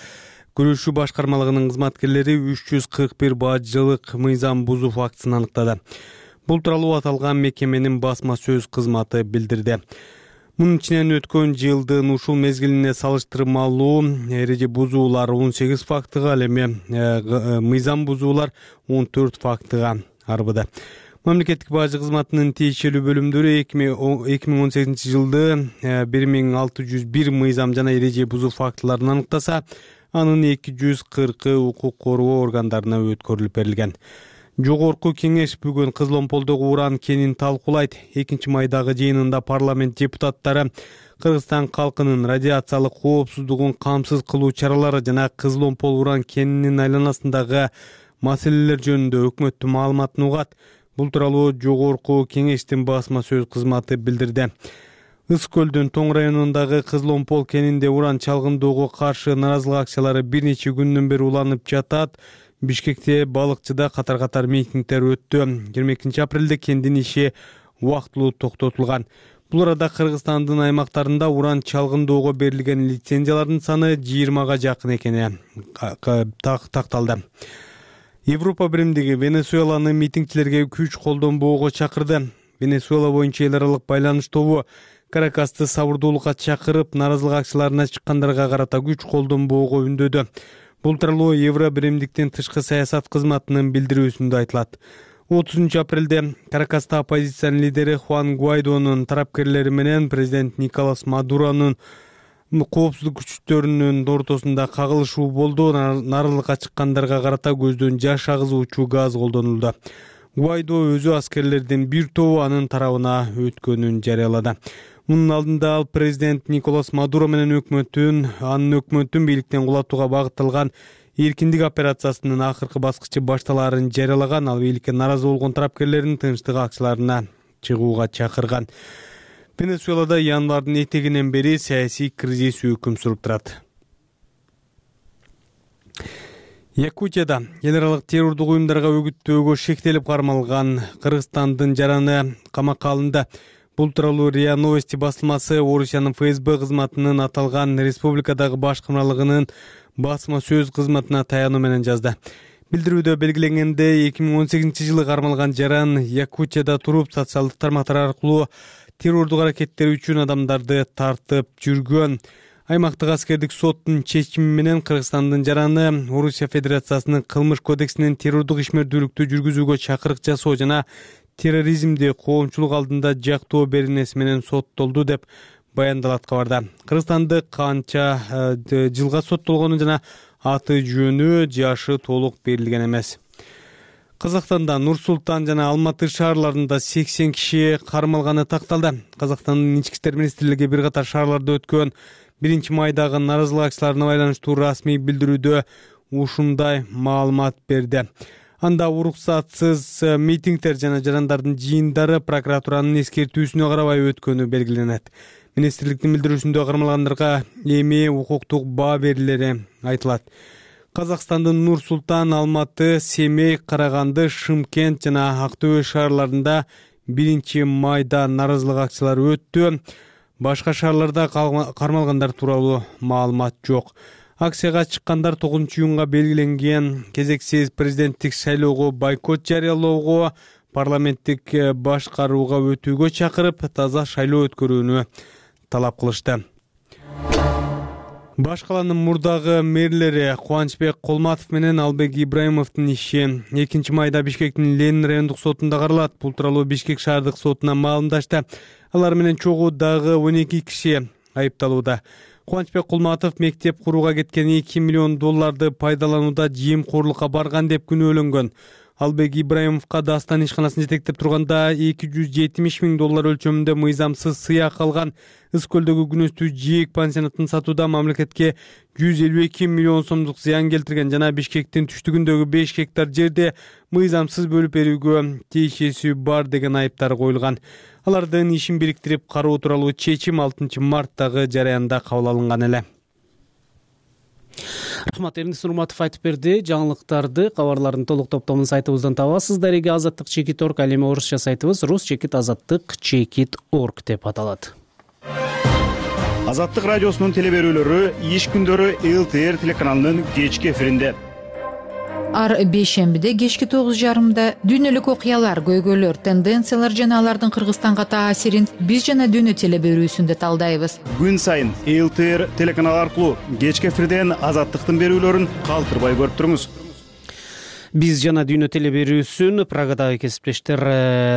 күрөшүү башкармалыгынын кызматкерлери үч жүз кырк бир бажылык мыйзам бузуу фактысын аныктады. Бул тууралуу аталган мекеменин басма сөз кызматы билдирди. Мунун ичинен өткөн жылдын ушул мезгилине салыштырмалуу эреже бузуулар он сегиз фактыга, ал эми мыйзам бузуулар он төрт фактыга арбыды. Мамлекеттик бажы кызматынын тиешелүү бөлүмдөрү эки миң он сегизинчи жылды бир миң алты жүз бир мыйзам жана эреже бузуу фактыларын аныктаса, анын эки жүз кыркы укук коргоо органдарына өткөрүлүп берилген. Жогорку кеңеш бүгүн Кызыломполдогу уран кенин талкуулайт. экинчи майдагы жыйынында парламент депутаттары Кыргызстан калкынын радиациялык коопсуздугун камсыз кылуу чаралары жана Кызыломпол уран кенинин айланасындагы маселелер жөнүндө өкмөттүн маалыматын угат. Бул тууралуу жогорку кеңештин басма сөз кызматы билдирди. Ыс көлдүн Тоң районундагы Кызыломпол кенинде уран чалгындоого каршы нааразылык акциялары бир нече күндөн бери уланып жатат. Бишкекте балыкчыда катар-катар митингдер өттү. жыйырма экинчи апрелде кендин иши убактылуу токтотулган. Бул арада Кыргызстандын аймактарында уран чалгындоого берилген лицензиялардын саны жыйырмага жакын экени такталды. Европа биримдиги Венесуэланы митингчилерге күч колдонбоого чакырды. Венесуэла боюнча эл аралык байланыш тобу Каракасты сабырдуулукка чакырып, нааразылык акцияларына чыккандарга карата күч колдонбоого үндөдү. Бул тууралуу Евро биримдиктин тышкы саясат кызматынын билдирүүсүндө айтылат. отузунчу апрелде Каракаста оппозициянын лидери Хуан Гуайдонун тарапкерлери менен президент Николас Мадуронун коопсуздук күчтөрүнүн ортосунда кагылышуу болду. Нааразылыкка чыккандарга карата көздөн жаш агызуучу газ колдонулду. Гуайдо өзү аскерлердин бир тобу анын тарабына өткөнүн жарыялады. Мунун алдында ал президент Николас Мадуро менен өкмөттүн, анын өкмөттүн бийликтен кулатууга багытталган эркиндик операциясынын акыркы баскычы башталаарын жарыялаган. Ал бийликке нааразы болгон тарапкерлердин тынчтык акцияларына чыгууга чакырган. Венесуэлада январдын этегинен бери саясий кризис өкүм сүрүп турат. Якутияда эл аралык террордук уюмдарга өгүттөөгө шектелип кармалган Кыргызстандын жараны камакка алынды. Бул тууралуу РИА Новости басылмасы Орусиянын ФСБ кызматынын аталган республикадагы башкармалыгынын басма сөз кызматына таянуу менен жазды. Билдирүүдө белгиленгендей, эки миң он сегизинчи жылы кармалган жаран Якутияда туруп социалдык тармактар аркылуу террордук аракеттер үчүн адамдарды тартып жүргөн. Аймактык аскердик соттун чечими менен Кыргызстандын жараны Орусия Федерациясынын кылмыш кодексинин террордук ишмердүүлүктү жүргүзүүгө чакырык жасоо жана терроризмди коомчулук алдында жактоо беренеси менен соттолду деп баяндалат кабарда. Кыргызстанды канча жылга соттолгону жана аты жөнү, жашы толук берилген эмес. Казакстанда Нур-Султан жана Алматы шаарларында сексен киши кармалганы такталды. Казакстандын ички иштер министрлиги бир катар шаарларда өткөн биринчи майдагы нааразылык акцияларына байланыштуу расмий билдирүүдө ушундай маалымат берди. Анда уруксатсыз митингдер жана жарандардын жыйындары прокуратуранын эскертүүсүнө карабай өткөнү белгиленет. Министрликтин билдирүүсүндө кармалгандарга эми укуктук баа берилери айтылат. Казакстандын Нур Султан, Алматы, Семей, Караганды, Шымкент жана Актөбө шаарларында биринчи майда нааразылык акциялары өттү. Башка шаарларда кармалгандар тууралуу маалымат жок. Акцияга чыккандар тогузунчу июнга белгиленген кезексиз президенттик шайлоого бойкот жарыялоого, парламенттик башкарууга өтүүгө чакырып, таза шайлоо өткөрүүнү талап кылышты. Баш каланын мурдагы мэрлери Кубанычбек Колматов менен Албек Ибраимовдун иши экинчи майда Бишкектин Ленин райондук сотунда каралат. Бул тууралуу Бишкек шаардык сотуна маалымдашты. Алар менен чогуу дагы он эки киши айыпталууда. Кубанычбек Колматов мектеп курууга кеткен эки миллион долларды пайдаланууда жыйымкорлукка барган деп күнөөлөнгөн. Албек Ибраимовго Дастан ишканасын жетектеп турганда эки жүз жетимиш миң доллар өлчөмүндө мыйзамсыз сыяк алган. Ыс көлдөгү күнөстүү жээк пансионатын сатууда мамлекетке жүз элүү эки миллион сомдук зыян келтирген жана Бишкектин түштүгүндөгү беш гектар жерде мыйзамсыз бөлүп берүүгө тиешеси бар деген айыптар коюлган. Алардын ишин бириктирип кароо тууралуу чечим алтынчы марттагы жараянда кабыл алынган эле. Рахмат, Эрнис Нурматов айтып берди. Жаңылыктарды, кабарлардын толук топтомун сайтыбыздан табасыз. Дареги азаттык чекит орг, ал эми орусча сайтыбыз рус чекит азаттык чекит орг деп аталат. Азаттык радиосунун теле берүүлөрү иш күндөрү эл тэ эр телеканалынын кечки эфиринде. Ар бейшембиде кечки тогуз жарымда дүйнөлүк окуялар, көйгөйлөр, тенденциялар жана алардын Кыргызстанга таасирин биз жана дүйнө теле берүүсүндө талдайбыз. Күн сайын эл тэ эр телеканалы аркылуу кечки эфирден азаттыктын берүүлөрүн калтырбай көрүп туруңуз. Биз жана дүйнө теле берүүсүн Прагадагы кесиптештер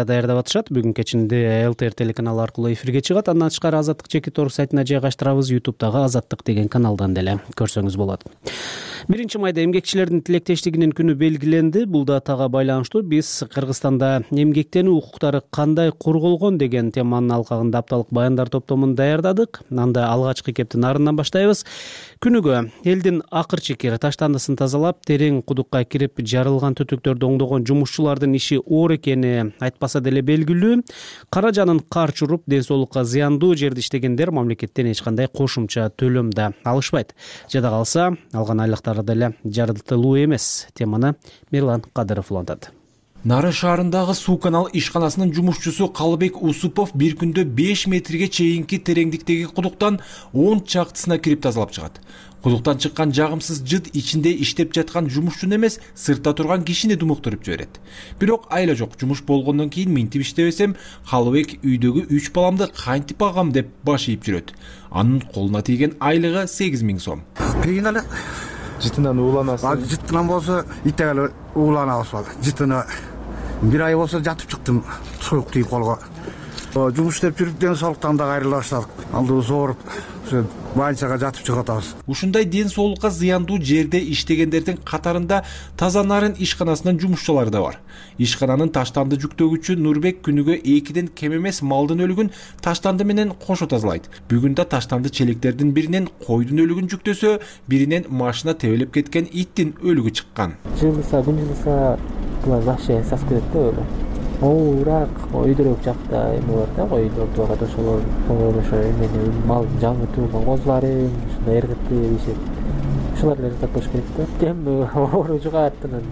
даярдап атышат. Бүгүн кечинде эл тэ эр телеканалы аркылуу эфирге чыгат. Андан тышкары Азаттык чекит орг сайтына жайгаштырабыз. ютубтагы Азаттык деген каналдан деле көрсөңүз болот. биринчи майда эмгекчилердин тилектештигинин күнү белгиленди. Бул датага байланыштуу биз Кыргызстанда эмгектенүү укуктары кандай корголгон деген теманын алкагында апталык баяндар топтомун даярдадык. Анда алгачкы кептин арынан баштайбыз. Күнүгө элдин акыр чекер таштандысын тазалап, терең кудукка кирип жарылган түтүктөрдү оңдогон жумушчулардын иши оор экени айтпаса деле белгилүү. Кара жанын кар чуруп, ден соолукка зыяндуу жерде иштегендер мамлекеттен эч кандай кошумча төлөм да алышпайт. Жада калса, алган айлыктары деле жарытылуу эмес. Теманы Мирлан Кадыров улантат. Нарын шаарындагы суу канал ишканасынын жумушчусу Калыбек Усупов бир күндө беш метрге чейинки тереңдиктеги кудуктан он чактысына кирип тазалап чыгат. Кудуктан чыккан жагымсыз жыт ичинде иштеп жаткан жумушчуну эмес, сыртта турган кишини думуктуруп жиберет. Бирок айла жок, жумуш болгондон кийин минтип иштебесем, Калыбек үйдөгү үч баламды кантип багам деп баш ийип жүрөт. Анын колуна тийген айлыгы сегиз миң сом. Кийин эле жытынан ууланасың. Жытынан болсо итегеле ууланабыз болду. Жытына бир ай болсо жатып чыктым, суюк тийип колго. Жумуш иштеп жүрүп ден соолуктан да кайрыла баштадык. Алдыбыз ооруп, больницага жатып чыгып атабыз. Ушундай ден соолукка зыяндуу жерде иштегендердин катарында Таза Нарын ишканасынын жумушчулары да бар. Ишкананын таштанды жүктөгүчү Нурбек күнүгө экиден кем эмес малдын өлүгүн таштанды менен кошо тазалайт. Бүгүн да таштанды челектердин биринен койдун өлүгүн жүктөсө, биринен машина тебелеп кеткен иттин өлүгү чыккан. Жылыса, күн жылыса булар вообще сасып кетет да өлү. Ооруак, өйдөрөк жакта эме бар да, койдордуга ошолор, ошо эмени мал жаңы туулган козулары, ушундай эргетти дешет. Ушулар эле жасап коюш керек да. Эми оору жугааттан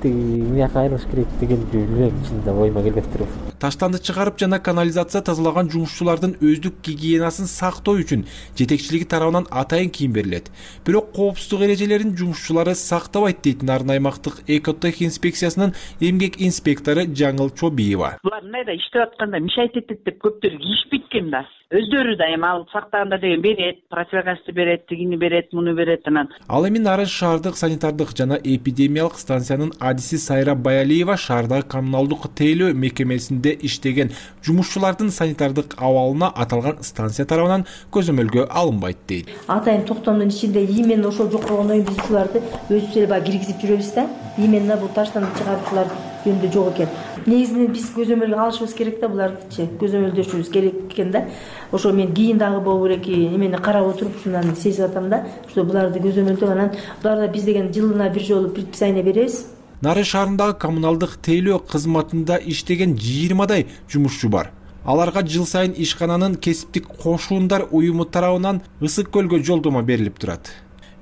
тиги мияка айырылыш керек деген жүрөм ичинде ойма келбептир. Таштанды чыгарып жана канализация тазалаган жумушчулардын өздүк гигиенасын сактоо үчүн жетекчилиги тарабынан атайын кийим берилет. Бирок коопсуздук эрежелерин жумушчулары сактабайт дейт Нарын аймактык экотех инспекциясынын эмгек инспектору Жаңыл Чобиева. Булар мындай иштеп атканда мешать этет деп көптөр кийишпейт экен да. Өздөрү да эми алып сактаганда деген берет, противогазды берет, тигини берет, муну берет анан. Ал эми Нарын шаардык санитардык жана эпидемиялык станциянын адиси Сайра Баялиева шаардагы коммуналдык тейлөө мекемесинде иштеген жумушчулардын санитардык абалына аталган станция тарабынан көзөмөлгө алынбайт дейт. Атайын токтомдун ичинде именно ошол жок болгондон кийин биз ушуларды өзүбүз эле баягы киргизип жүрөбүз да. Именно бул таштанды чыгарышлар жөнүндө жок экен. Негизинен биз көзөмөлгө алышыбыз керек да, булардычы көзөмөлдөшүбүз керек экен да. Ошо мен кийин дагы боло берек эмени карап отуруп ушундан сезип атам да, что буларды көзөмөлдөп анан буларда биз деген жылына бир жолу предписание беребиз. Нары шаарындагы коммуналдык тейлөө кызматында иштеген жыйырмадай жумушчу бар. Аларга жыл сайын ишкананын кесиптик кошуундар уюму тарабынан Ысык көлгө жолдомо берилип турат.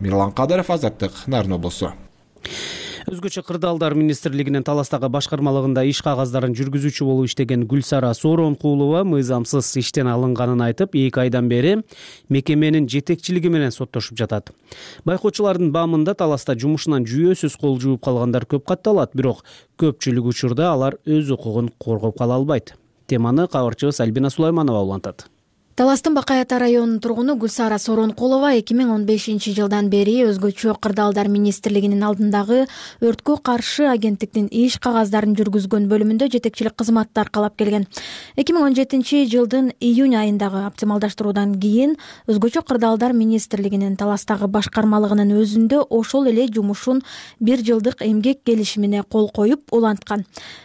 Мирлан Кадыров, Азаттык, Нарын облусу. Өзгөчө кырдаалдар министрлигинин Таластагы башкармалыгында иш кагаздарын жүргүзүүчү болуп иштеген Гүлсара Сооронкулова мыйзамсыз иштен алынганын айтып, эки айдан бери мекеменин жетекчилиги менен соттошуп жатат. Байкоочулардын баамында Таласта жумушунан жүйөсүз кол жууп калгандар көп катталат, бирок көпчүлүк учурда алар өз укугун коргоп кала албайт. Теманы кабарчыбыз Альбина Сулайманова улантат. Таластын Бакай Ата районунун тургуну Гүлсара Сооронкулова эки миң он бешинчи жылдан бери өзгөчө кырдаалдар министрлигинин алдындагы өрткө каршы агенттиктин иш кагаздарын жүргүзгөн бөлүмүндө жетекчилик кызматты аркалап келген. эки миң он жетинчи жылдын июнь айындагы оптималдаштыруудан кийин өзгөчө кырдаалдар министрлигинин Таластагы башкармалыгынын өзүндө ошол эле жумушун бир жылдык эмгек келишимине кол коюп уланткан.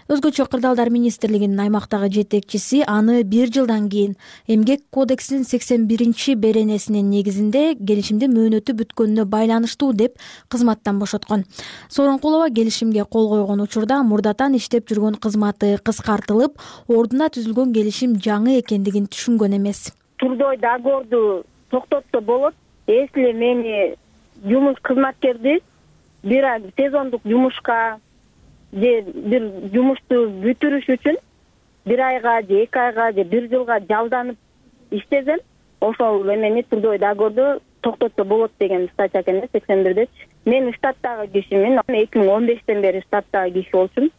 Өзгөчө кырдаалдар министрлигинин аймактагы жетекчиси аны бир жылдан кийин эмгек кодексинин сексен биринчи беренесинин негизинде келишимдин мөөнөтү бүткөнүнө байланыштуу деп кызматтан бошоткон. Сооронкулова келишимге кол койгон учурда мурдатан иштеп жүргөн кызматы кыскартылып, ордуна түзүлгөн келишим жаңы экендигин түшүнгөн эмес. Турдой договорду токтотсо болот. Если мени жумуш кызматкерди бир ай сезондук жумушка же бир жумушту бүтүрүш үчүн бир айга же эки айга же бир жылга жалданып иштесем, ошол эмени турдой договорду токтотсо болот деген статья экен сексен бирдечи. Мен штаттагы кишимин, эки миң он бештен бери штаттагы киши болчумун.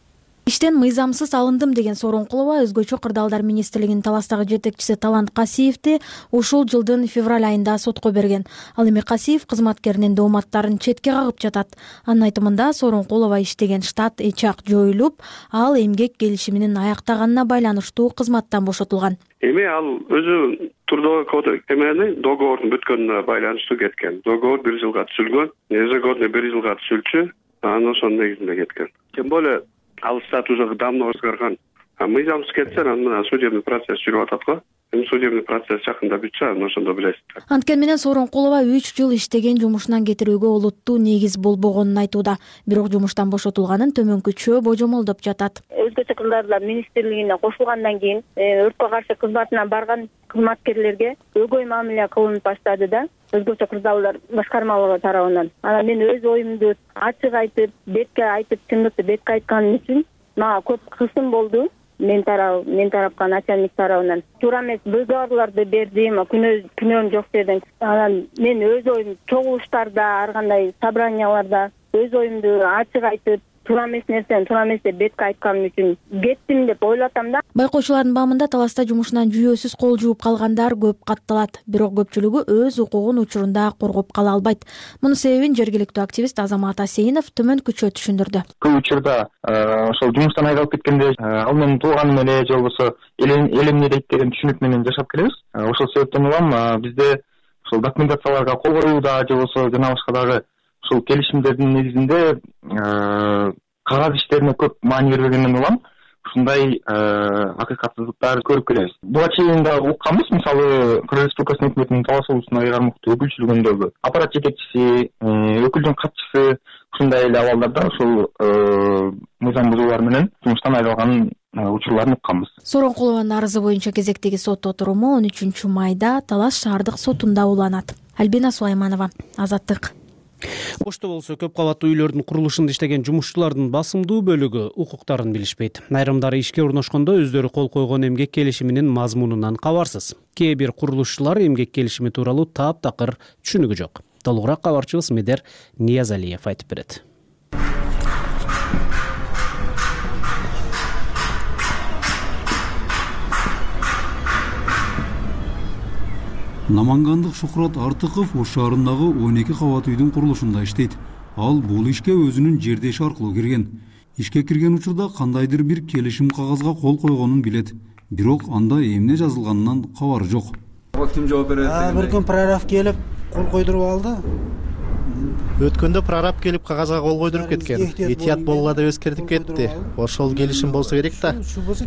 Иштен мыйзамсыз алындым деген Сооронкулова өзгөчө кырдаалдар министрлигинин Таластагы жетекчиси Талант Касиевди ушул жылдын февраль айында сотко берген. Ал эми Касиев кызматкеринин дооматтарын четке кагып жатат. Анын айтымында Сооронкулова иштеген штат эчак жоюлуп, ал эмгек келишиминин аяктаганына байланыштуу кызматтан бошотулган. Эми ал өзү трудовой кодекс эмени договордун бүткөнүнө байланыштуу кеткен. Договор бир жылга түзүлгөн, ежегодный бир жылга түзүлчү, анан ошонун негизинде кеткен. Тем более ал стат уже давно өзгөргөн. А мыйзамсыз кетсе, анан судебный процесс жүрүп атат го. Эми судебный процесс жакында бүтсө, анан ошондо билесиздер. Анткени менен Сооронкулова үч жыл иштеген жумушунан кетирүүгө олуттуу негиз болбогонун айтууда. Бирок жумуштан бошотулганын төмөнкүчө божомолдоп жатат. Өзгөчө кырдаалдар министрлигине кошулгандан кийин өрткө каршы кызматына барган кызматкерлерге өгөй мамиле кылынып баштады да. Өзгөчө кырдаалдар башкармалыгы тарабынан. Анан мен өз оюмду ачык айтып, бетке айтып, чындыкты бетке айтканым үчүн мага көп кысым болду. Мен тарап, мен тарапка начальник тарабынан. Туура эмес договорлорду бердим, күнөөм жок дедим. Анан мен өз оюм чогулуштарда, ар кандай собранияларда өз оюмду ачык айтып, туура эмес нерсени туура эмес деп бетке айтканым үчүн кеттим деп ойлотом да. Байкоочулардын баамында Таласта жумушунан жүйөсүз кол жууп калгандар көп катталат, бирок көпчүлүгү өз укугун учурунда коргоп кала албайт. Мунун себебин жергиликтүү активист Азамат Асейинов төмөнкүчө түшүндүрдү. Көп учурда ошол жумуштан айдалып кеткенде ал менин тууганым эле же болбосо элемне дейт деген түшүнүк менен жашап келебиз. Ошол себептен улам бизде ошол документацияларга кол коюуда же болбосо жана башка дагы ушул келишимдердин негизинде кагаз иштерине көп маани бербегенден улам ушундай акыйкатсыздыктар көрүп келебиз. Буга чейин да укканбыз, мисалы Кыргыз Республикасынын өкмөтүнүн Талас облусуна кармактуу өкүлчүлүгүндөгү аппарат жетекчиси, өкүлдүн катчысы ушундай эле абалдарда ушул мыйзам бузуулар менен жумуштан айдалган учурларын укканбыз. Сооронкулованын арызы боюнча кезектеги сот отуруму он үчүнчү майда Талас шаардык сотунда уланат. Альбина Сулайманова, Азаттык. Ошто болсо көп кабаттуу үйлөрдүн курулушунда иштеген жумушчулардын басымдуу бөлүгү укуктарын билишпейт. Айрымдары ишке орношкондо өздөрү кол койгон эмгек келишиминин мазмунунан кабарсыз. Кээ бир курулушчулар эмгек келишими тууралуу таптакыр түшүнүгү жок. Толугураак кабарчыбыз Медер Ниязалиев айтып берет. Намангандык Шухрат Артыков Ош шаарындагы он эки кабат үйдүн курулушунда иштейт. Ал бул ишке өзүнүн жердеши аркылуу кирген. Ишке кирген учурда кандайдыр бир келишим кагазга кол койгонун билет. Бирок анда эмне жазылганынан кабары жок. Ким жооп берет? Бир күн прораб келип кол койдуруп алды. Өткөндө прораб келип кагазга кол койдуруп кеткен. Этият болгула деп эскертип кетти. Ошол келишим болсо керек да.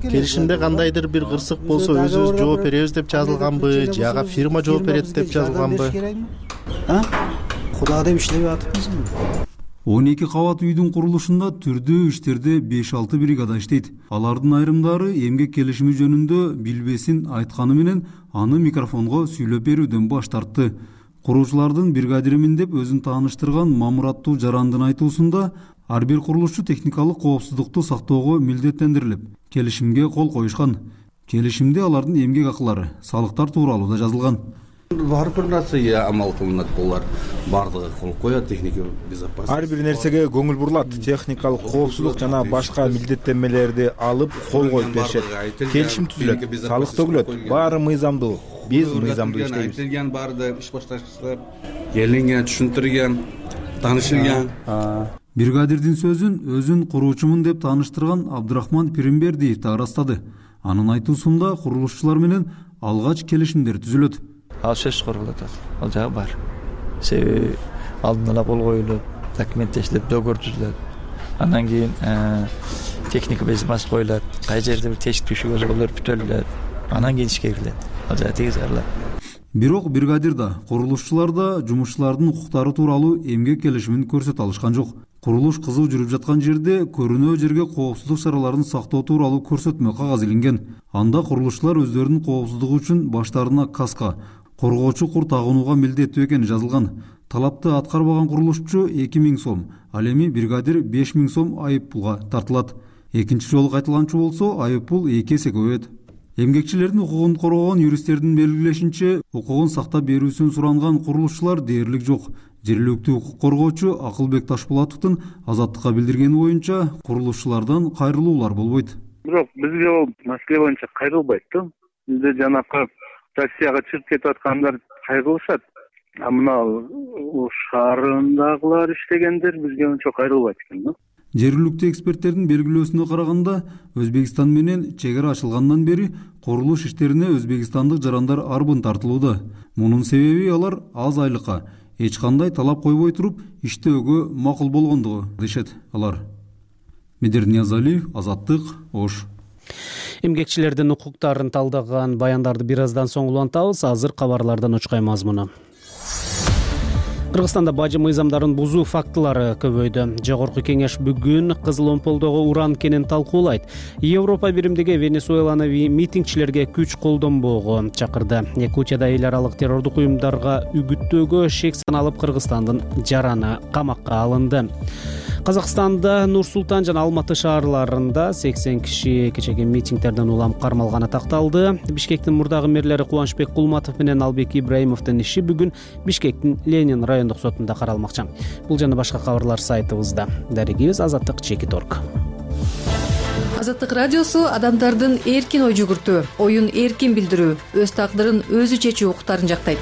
Келишимде кандайдыр бир кырсык болсо өзүбүз жооп беребиз деп жазылганбы, же ага фирма жооп берет деп жазылганбы? А? Куда деп иштеп атабызбы? он эки кабат үйдүн курулушунда түрдүү иштерде беш алты бригада иштейт. Алардын айрымдары эмгек келишими жөнүндө билбесин айтканы менен аны микрофонго сүйлөп берүүдөн баш тартты. Куруучулардын бригадиримин деп өзүн тааныштырган Мамураттуу Жарандын айтуусунда ар бир курулушчу техникалык коопсуздукту сактоого милдеттендирилип, келишимге кол коюшкан. Келишимде алардын эмгек акылары, салыктар тууралуу да жазылган. Ар бир нерсеге амал кылынат, булар бардыгы кол коет, техника безопасность. Ар бир нерсеге көңүл бурулат, техникалык коопсуздук жана башка милдеттенмелерди алып кол коюп беришет. Келишим түзүлөт, салык төгүлөт, баары мыйзамдуу. Биз мыйзамдуу иштейбиз. Айтылган баарды иш башташчылар келинген, түшүндүргөн, таанышылган. Бригадирдин сөзүн өзүн куруучумун деп тааныштырган Абдырахман Пиримбердиев да ырастады. Анын айтуусунда курулушчулар менен алгач келишимдер түзүлөт. Ал сөз корулат, ал жагы бар. Себеби алдын ала кол коюлуп, документтештирип, договор түзүлөт. Андан кийин техника безопасность коюлат, кай жерде бир тешик түшүгө болор бүтөлүлөт. Анан кийин ишке кирилет. Ал жагы тегиз аралат. Бирок бригадир да, курулушчулар да жумушчулардын укуктары тууралуу эмгек келишимин көрсөтө алышкан жок. Курулуш кызуу жүрүп жаткан жерде көрүнөө жерге коопсуздук чараларын сактоо тууралуу көрсөтмө кагаз илинген. Анда курулушчулар өздөрүнүн коопсуздугу үчүн баштарына каска, коргоочу кур тагынууга милдеттүү экени жазылган. Талапты аткарбаган курулушчу эки миң сом, ал эми бригадир беш миң сом айып пулга тартылат. Экинчи жолу кайталанчу болсо айып пул эки эсе көбөйөт. Эмгекчилердин укугун коргогон юристтердин белгилешинче, укугун сактап берүүсүн суранган курулушчулар дээрлик жок. Жергиликтүү укук коргоочу Акылбек Ташпулатовдун Азаттыкка билдиргени боюнча, курулушчулардан кайрылуулар болбойт. Бирок бизге ол маселе боюнча кайрылбайт да. Бизде жанакы Россияга чыгып кетип аткандар кайрылышат. А мына шаарындагылар иштегендер бизге ончо кайрылбайт экен да. Жергиликтүү эксперттердин белгилөөсүнө караганда, Өзбекстан менен чек ара ачылгандан бери курулуш иштерине өзбекстандык жарандар арбын тартылууда. Мунун себеби алар аз айлыкка, эч кандай талап койбой туруп иштөөгө макул болгондугу дешет алар. Медер Ниязалиев, Азаттык, Ош. Эмгекчилердин укуктарын талдаган баяндарды бир аздан соң улантабыз. Азыр кабарлардан учкай мазмуну. Кыргызстанда бажы мыйзамдарын бузуу фактылары көбөйдү. Жогорку кеңеш бүгүн Кызыл Омполдогу уран кенин талкуулайт. Европа биримдиги Венесуэланы митингчилерге күч колдонбоого чакырды. Якутияда эл аралык террордук уюмдарга үгүттөөгө шек саналып Кыргызстандын жараны камакка алынды. Казакстанда Нур-Султан жана Алматы шаарларында сексен киши кечеги митингтерден улам кармалганы такталды. Бишкектин мурдагы мэрлери Кубанычбек Кулматов менен Албек Ибраимовдун иши бүгүн Бишкектин Ленин райондук сотунда каралмакчы. Бул жана башка кабарлар сайтыбызда. Дарегибиз азаттык чекит точка орг. Азаттык радиосу адамдардын эркин ой жүгүртүү, оюн эркин билдирүү, өз тагдырын өзү чечүү укуктарын жактайт.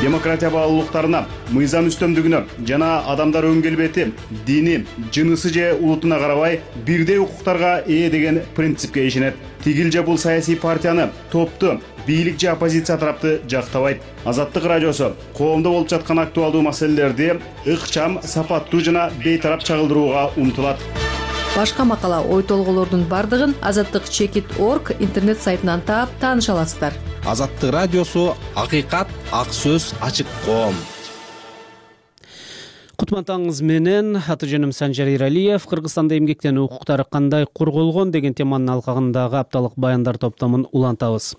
Демократия баалуулуктарына, мыйзам үстөмдүгүнө жана адамдар өн келбети, дини, жынысы же улутуна карабай бирдей укуктарга ээ деген принципке ишенет. Тигил же бул саясий партияны, топту, бийлик же оппозиция тарапты жактабайт. Азаттык радиосу коомдо болуп жаткан актуалдуу маселелерди ыкчам, сапаттуу жана бейтарап чагылдырууга умтулат. Башка макала, ой толголордун бардыгын азаттык чекит точка орг интернет сайтынан таап тааныша аласыздар. Азаттык радиосу акыйкат, ак сөз, ачык коом. Кутмантаңыз менен аты жөнүм Санжар Иралиев. Кыргызстанда эмгектен укуктары кандай корголгон деген теманын алкагындагы апталык баяндар топтомун улантабыз.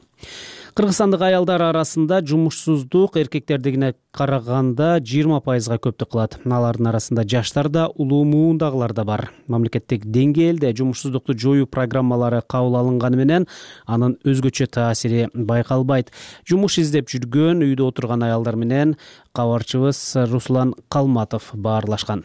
Кыргызстандык аялдар арасында жумушсуздук эркектердигине караганда жыйырма пайызга көптүк кылат. Алардын арасында жаштар да, улуу муундагылар да бар. Мамлекеттик деңгээлде жумушсуздукту жоюу программалары кабыл алынганы менен анын өзгөчө таасири байкалбайт. Жумуш издеп жүргөн үйдө отурган аялдар менен кабарчыбыз Руслан Калматов баарлашкан.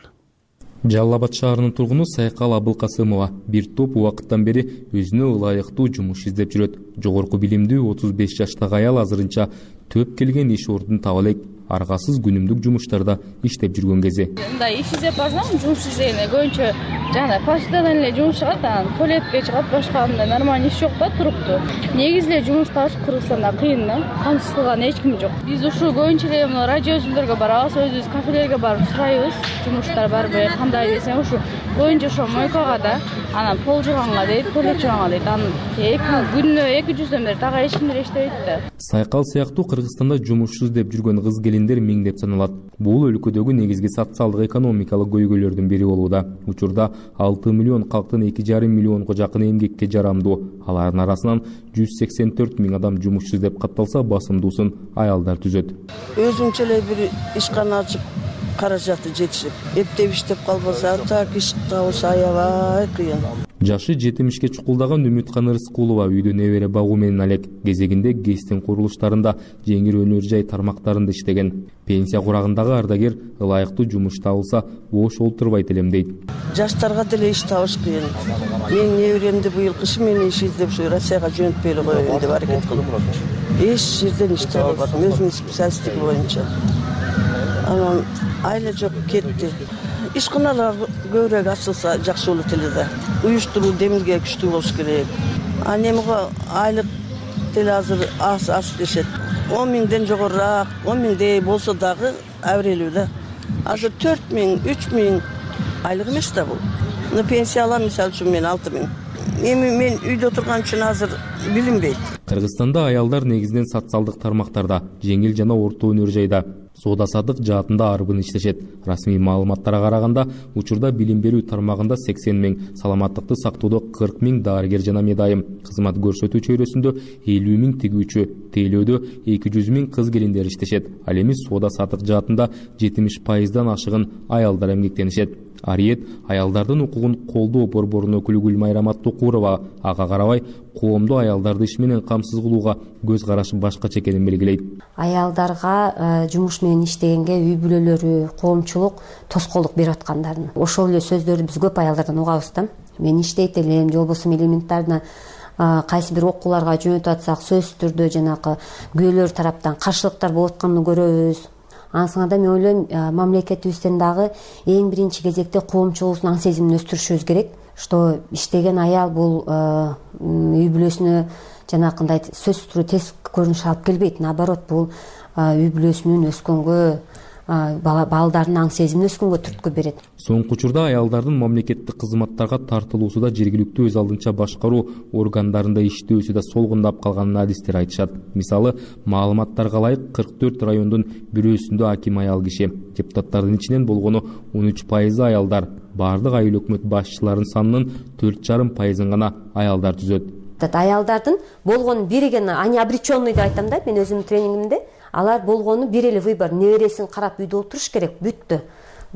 Жалал Абад шаарынын тургуну Сайкал Абылкасымова бир топ убакыттан бери өзүнө ылайыктуу жумуш издеп жүрөт. Жогорку билимдүү отуз беш жаштагы аял азырынча төп келген иш ордун таба элек. Аргасыз күнүмдүк жумуштарда иштеп жүргөн кези. Мындай иш издеп барсам, жумуш издегенде көбүнчө жана почтадан эле жумуш чыгат, анан туалетке чыгат, башка мындай нормальный иш жок да, туруктуу. Негизи эле жумуш табыш Кыргызстанда кыйын да, камсыз кылган эч ким жок. Биз ушу көбүнчө эле мына радио үзүлдөргө барабыз, өзүбүз кафелерге барып сурайбыз, жумуштар барбы, кандай десең ушу боюнча ошо мойкага да анан пол жууганга дейт, туалет жууганга дейт. Анан күнүнө эки жүздөн бери дагы эч ким иштебейт да. Сайкал сыяктуу Кыргызстанда жумушсуз деп жүргөн кыз келиндер миңдеп саналат. Бул өлкөдөгү негизги социалдык экономикалык көйгөйлөрдүн бири болууда. Учурда алты миллион калктын эки жарым миллионго жакын эмгекке жарамдуу. Алардын арасынан жүз сексен төрт миң адам жумушсуз деп катталса, басымдуусун аялдар түзөт. Өзүнчө эле бир ишкана ачып каражаты жетишип, эптеп иштеп калбаса, так иш табыш аябай кыйын. Жашы жетимишке чукулдаган Үмүткан Рыскулова үйдө небере багуу менен алек. Кезегинде ГЭСтин курулуштарында, жеңил өнөр жай тармактарында иштеген. Пенсия курагындагы ардагер ылайыктуу жумуш табылса, бош олтурбайт элем дейт. Жаштарга деле иш табыш кыйын. Мен неберемди быйыл кышы мени иш издеп ушу Россияга жөнөтпөйлү коеюн деп аракет кылдым. Эч жерден иш таба албадым, өзүмдүн специалисттиги боюнча. Анан айла жок кетти. Ишканалар көбүрөөк ачылса жакшы болот эле да. Уюштуруу демилге күчтүү болуш керек. Анан эмге айлык деле азыр аз аз дешет. он миңден жогорураак, он миңдей болсо дагы абрелүү да. Азыр төрт миң, үч миң айлык эмес да бул. Мына пенсия алам, мисалы үчүн мен алты миң. Эми мен үйдө турган үчүн азыр билинбейт. Кыргызстанда аялдар негизинен социалдык тармактарда, жеңил жана орто өнөр жайда, соода-саттык жаатында арбын иштешет. Расмий маалыматтарга караганда, учурда билим берүү тармагында сексен миң, саламаттыкты сактоодо кырк миң дарыгер жана медайым, кызмат көрсөтүү чөйрөсүндө элүү миң тигүүчү, тейлөөдө эки жүз миң кыз келиндер иштешет. Ал эми соода-саттык жаатында жетимиш пайыздан ашыгын аялдар эмгектенишет. Ариет аялдардын укугун колдоо борборунун өкүлү Гүлмайра Маттукурова ага карабай, коомдо аялдарды иш менен камсыз кылууга көз карашы башкача экенин белгилейт. Аялдарга жумуш менен иштегенге үй бүлөлөрү, коомчулук тоскоолдук берип аткандарын. Ошол эле сөздөрдү биз көп аялдардан угабыз да. Мен иштейт элем, же болбосо элементарно кайсы бир окууларга жөнөтүп атсак, сөзсүз түрдө жанагы күйөөлөр тараптан каршылыктар болуп атканын көрөбүз. Ансыңада мен ойлойм, мамлекетибизден дагы эң биринчи кезекте коомчулуктун аң сезимин өстүрүшүбүз керек. Что иштеген аял бул үй бүлөсүнө жанакындай сөзсүз түрдө тез көрүнүш алып келбейт. Наоборот, бул үй бүлөсүнүн өскөнгө, балдардын аң сезимин өскөнгө түрткү берет. Соңку учурда аялдардын мамлекеттик кызматтарга тартылуусу да жергиликтүү өз алдынча башкаруу органдарында иштөөсү да солгундап калганын адистер айтышат. Мисалы, маалыматтарга ылайык кырк төрт райондун бирөөсүндө аким аял киши. Депутаттардын ичинен болгону он үч пайызы аялдар. Бардык айыл өкмөт башчыларынын санынын төрт жарым пайызын гана аялдар түзөт. Аялдардын болгону бириген, они обреченный деп айтам да, мен өзүмдүн тренингимде. Алар болгону бир эле выбор, небересин карап үйдө отуруш керек, бүттү.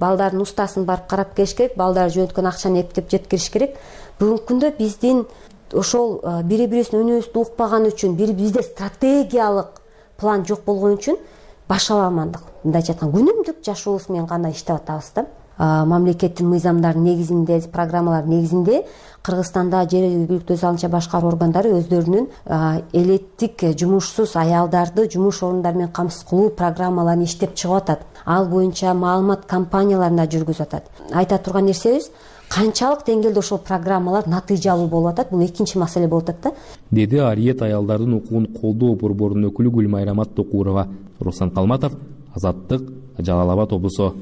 Балдардын устасын барып карап келиш керек, балдар жөнөткөн акчаны эптеп жеткириш керек. Бүгүнкү күндө биздин ошол бири-бирибиздин үнүбүздү укпаган үчүн, бири бизде стратегиялык план жок болгон үчүн башаламандык. Мындайча айтканда, күнүмдүк жашообуз менен гана иштеп атабыз да. Мамлекеттин мыйзамдарынын негизинде, программалардын негизинде Кыргызстанда жергиликтүү өз алдынча башкаруу органдары өздөрүнүн элеттик жумушсуз аялдарды жумуш орундары менен камсыз кылуу программаларын иштеп чыгып атат. Ал боюнча маалымат кампанияларында жүргүзүп атат. Айта турган нерсебиз, канчалык деңгээлде ошол программалар натыйжалуу болуп атат, бул экинчи маселе болуп атат да. Деди Ариет аялдардын укугун колдоо борборунун өкүлү Гүлмайра Маттукурова. Руслан Калматов, Азаттык, Жалал Абад облусу.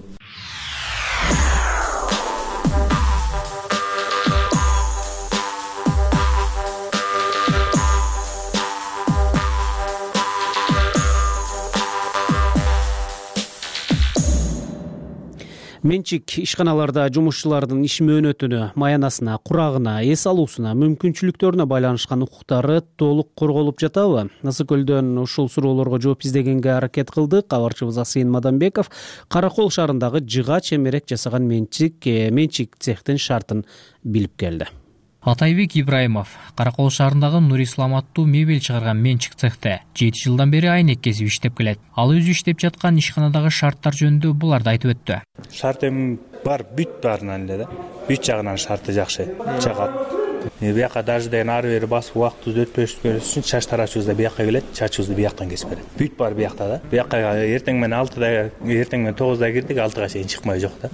Менчик ишканаларда жумушчулардын иш мөөнөтүнө, маянасына, курагына, эс алуусуна, мүмкүнчүлүктөрүнө байланышкан укуктары толук корголуп жатабы? Ысык көлдөн ушул суроолорго жооп издегенге аракет кылдык. Кабарчыбыз Асыйын Мадамбеков Каракол шаарындагы жыга чемерек жасаган менчик менчик цехтин шартын билип келди. Атайбек Ибраимов Каракол шаарындагы Нур Ислам аттуу мебель чыгарган менчик цехте жети жылдан бери айнек кесип иштеп келет. Ал өзү иштеп жаткан ишканадагы шарттар жөнүндө буларды айтып өттү. Шарт эми бар, бүт баарынан эле да. Бүт жагынан шарты жакшы, жагат. Бияка даже деген ары бери басып убакытты өтпөш үчүн чач тарачыбыз да бияка келет, чачыбызды бияктан кесип берет. Бүт бар биякта да. Бияка эртең менен алтыда, эртең менен тогузда кирдик, алтыга чейин чыкмай жок да.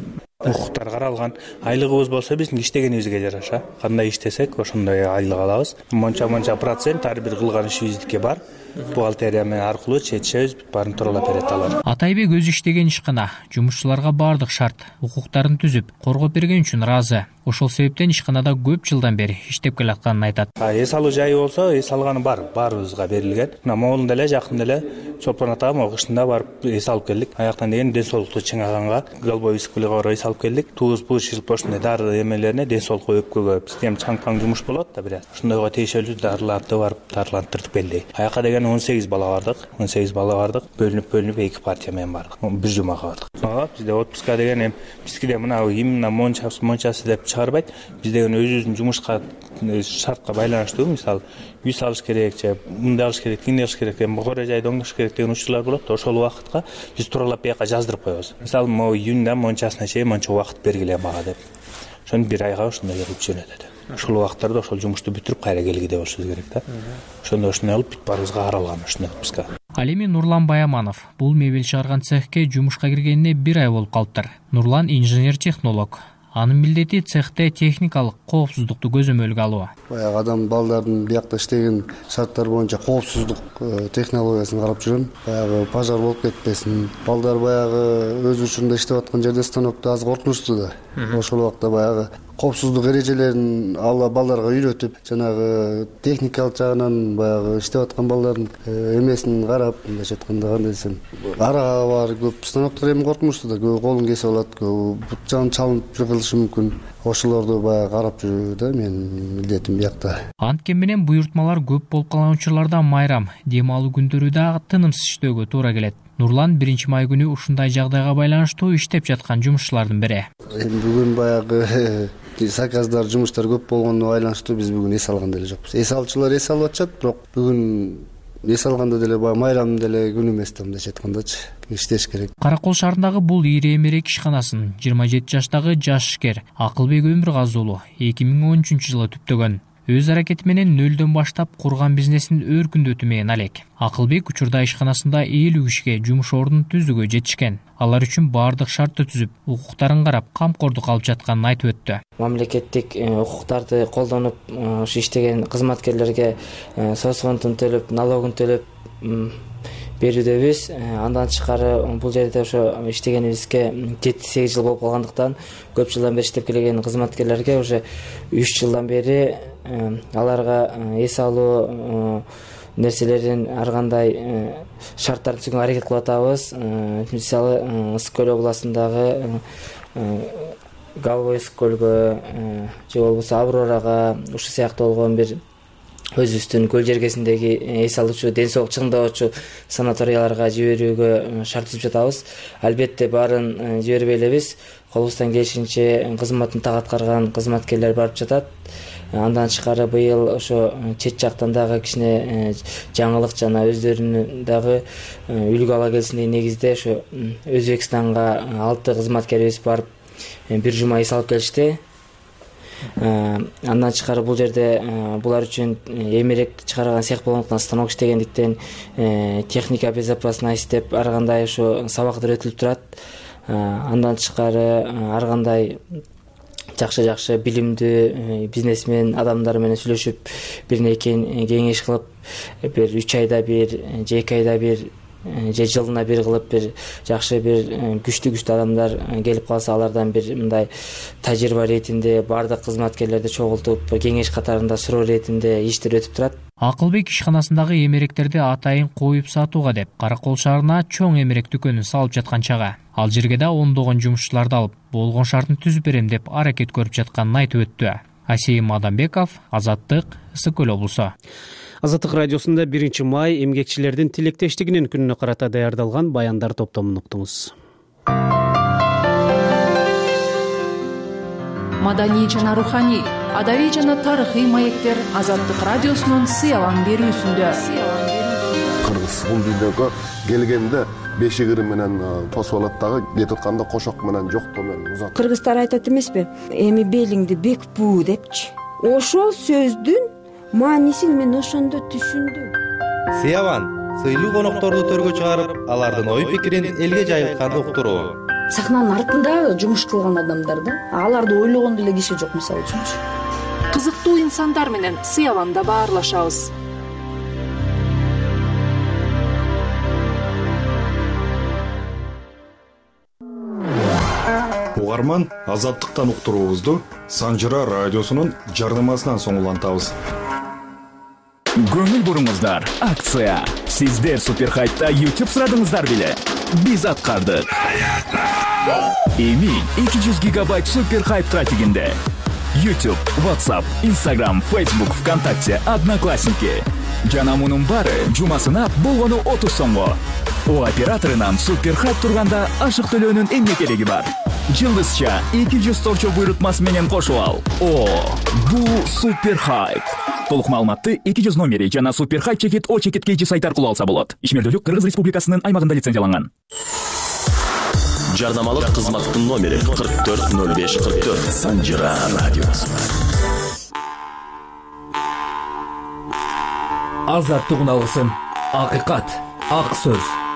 Укуктар каралган. Айлыгыбыз болсо биздин иштегенибизге жараша. Кандай иштесек, ошондой айлык алабыз. Монча-монча процент ар бир кылган ишибиздики бар. бухгалтерия менен аркылуу чечишебиз, бүт баарын тууралап берет алар. Атайбек өзү иштеген ишкана жумушчуларга баардык шарт, укуктарын түзүп, коргоп берген үчүн ыраазы. Ошол себептен ишканада көп жылдан бери иштеп келатканын айтат. Эс алуу жайы болсо, эс алганы бар, баарыбызга берилген. Мына могул деле жакын деле Чолпон атага могу кышында барып эс алып келдик. Аяктан деген ден соолукту чыңаганга, голубой искулга барып эс алып келдик. Туз бул шилп ошондой дары эмелерине ден соолукка өпкөгө бизде эми чаң-паң жумуш болот да бираз. Ошондойго тийишелүү дарыларды барып дарылантырдык белдей. Аяка деген он сегиз бала бардык. он сегиз бала бардык. Бөлүнүп-бөлүнүп эки партия менен бардык. Бир жумага бардык. Ага бизде отпуска деген эми бизде мына именно мончасы мончасы деп чыгарбайт. Биз деген өзүбүздүн жумушка шартка байланыштуу, мисалы үй салыш керек же мындай алыш керек, тигиндей алыш керек, эми кore жайды оңдош керек деген учурлар болот. Ошол убакытка биз тууралап бияка жаздырып коебуз. Мисалы могу июнда мончасына чейин монча убакыт бергиле мага деп. Ошону бир айга ошондой берип жөнөтөт. Ошол убакыттарда ошол жумушту бүтүрүп кайра келгиде болушубуз керек да. Ошондо ошондой алып бүт баарыбызга каралган ошондой отпуска. Ал эми Нурлан Баяманов бул мебель чыгарган цехке жумушка киргенине бир ай болуп калыптыр. Нурлан инженер-технолог. Анын милдети цехте техникалык коопсуздукту көзөмөлгө алуу. Баягы адам балдардын биякта иштеген шарттар боюнча коопсуздук технологиясын карап жүрөм. Баягы пожар болуп кетпесин. Балдар баягы өз учурунда иштеп аткан жерде станокто аз коркунучту да. Ошол убакта баягы коопсуздук эрежелерин алла балдарга үйрөтүп, жанагы техникалык жагынан баягы иштеп аткан балдардын эмесин карап, мындайча айтканда кандай десем, арага бар көп станоктор эми коркунучту да, көбү колун кесип алат, көбү бут жагын чалынып калышы мүмкүн. Ошолорду баягы карап жүрүү да менин милдетим биякта. Анткени менен буйртмалар көп болуп калган учурларда майрам, дем алуу күндөрү да тынымсыз иштөөгө туура келет. Нурлан биринчи май күнү ушундай жагдайга байланыштуу иштеп жаткан жумушчулардын бири. Эми бүгүн баягы заказдар, жумуштар көп болгонуна байланыштуу биз бүгүн эс алган деле жокпуз. Эс алуучулар эс алып атышат, бирок бүгүн эс алганда деле баягы майрамдын деле күнү эмес да, мындайча айткандачы. Иштеш керек. Каракол шаарындагы бул ири эмерек ишканасын жыйырма жети жаштагы жаш ишкер Акылбек Өмүргазы уулу эки миң он үчүнчү жылы түптөгөн. Өз аракети менен нөлдөн баштап курган бизнесин өркүндөтүү менен алек. Акылбек учурда ишканасында элүү кишиге жумуш ордун түзүүгө жетишкен. Алар үчүн баардык шартты түзүп, укуктарын карап, камкордук алып жатканын айтып өттү. Мамлекеттик укуктарды колдонуп, ушу иштеген кызматкерлерге соц фондун төлөп, налогун төлөп берүүдөбүз. Андан тышкары бул жерде ошо иштегенибизге жети сегиз жыл болуп калгандыктан көп жылдан бери иштеп келген кызматкерлерге уже үч жылдан бери аларга эс алуу нерселерин ар кандай шарттарды түзүүгө аракет кылып атабыз. Мисалы Ысык көл областындагы Голубой Ысык көлгө же болбосо Аврорага ушул сыяктуу болгон бир өзүбүздүн көл жергесиндеги эс алуучу, ден соолук чыңдоочу санаторияларга жиберүүгө шарт түзүп жатабыз. Албетте баарын жибербей элебиз. Колубуздан келишинче кызматын так аткарган кызматкерлер барып жатат. Андан тышкары быйыл ошо чет жактан дагы кичине жаңылык жана өздөрүнүн дагы үлгү ала келсин деген негизде ошо Өзбекстанга алты кызматкерибиз барып бир жума эс алып келишти. Андан тышкары бул жерде булар үчүн эмерек чыгарган цех болгондуктан, станок иштегендиктен техника безопасность деп ар кандай ошо сабактар өтүлүп турат. Андан тышкары ар кандай жакшы-жакшы билимдүү бизнесмен адамдар менен сүйлөшүп, бирине экин кеңеш кылып, бир үч айда бир же эки айда бир же жылына бир кылып бир жакшы бир күчтүү күчтүү адамдар келип калса, алардан бир мындай тажрыйба иретинде баардык кызматкерлерди чогултуп, кеңеш катарында суроо иретинде иштер өтүп турат. Акылбек ишканасындагы эмеректерди атайын коюп сатууга деп Каракол шаарына чоң эмерек дүкөнүн салып жаткан чага. Ал жерге да ондогон жумушчуларды алып, болгон шартын түзүп берем деп аракет көрүп жатканын айтып өттү. Асейим Адамбеков, Азаттык, Ысык көл облусу. Азаттык радиосунда биринчи май эмгекчилердин тилектештигинин күнүнө карата даярдалган баяндар топтомун уктуңуз. Маданий жана руханий, адабий жана тарыхый маектер Азаттык радиосунун сыялан берүүсүндө. Кыргыз бул дүйнөгө келгенде бешигири менен тосуп алат дагы, кетип атканда кошок менен жоктоо менен узат. Кыргыздар айтат эмеспи? Эми белиңди бек буу депчи. Ошол сөздүн маанисин мен ошондо түшүндүм. Сыяван сыйлуу конокторду төргө чыгарып, алардын ой пикирин элге жайылтканды уктуруу. Сахнанын артында жумуш кылган адамдар да, аларды ойлогон деле киши жок, мисалы үчүнчү. Кызыктуу инсандар менен Сыяванда баарлашабыз. угарман, Азаттыктан уктуруубузду Санжыра радиосунун жарнамасынан соң улантабыз. Көңүл буруңуздар, акция. Сиздер Суперхайпта YouTube сурадыңыздар беле? Биз аткардык. Эми эки жүз гигабайт Суперхайп трафигинде. YouTube, WhatsApp, Instagram, Facebook, ВКонтакте, Одноклассники. Жана мунун баары жумасына болгону отуз сомго. О операторунан Суперхайп турганда ашык төлөөнүн эмне кереги бар? Жылдызча эки жүз торчо буйрутмасы менен кошуп ал. О, бул Суперхайп. Толук маалыматты эки жүз номери жана Суперхайп чекит О чекит кейжи сайт аркылуу алса болот. Ишмердүүлүк Кыргыз Республикасынын аймагында лицензияланган. Жарнамалык кызматтын номери кырк төрт ноль беш кырк төрт. Санжыра радиосу. Азаттык уналгысын. Акыйкат, ак сөз.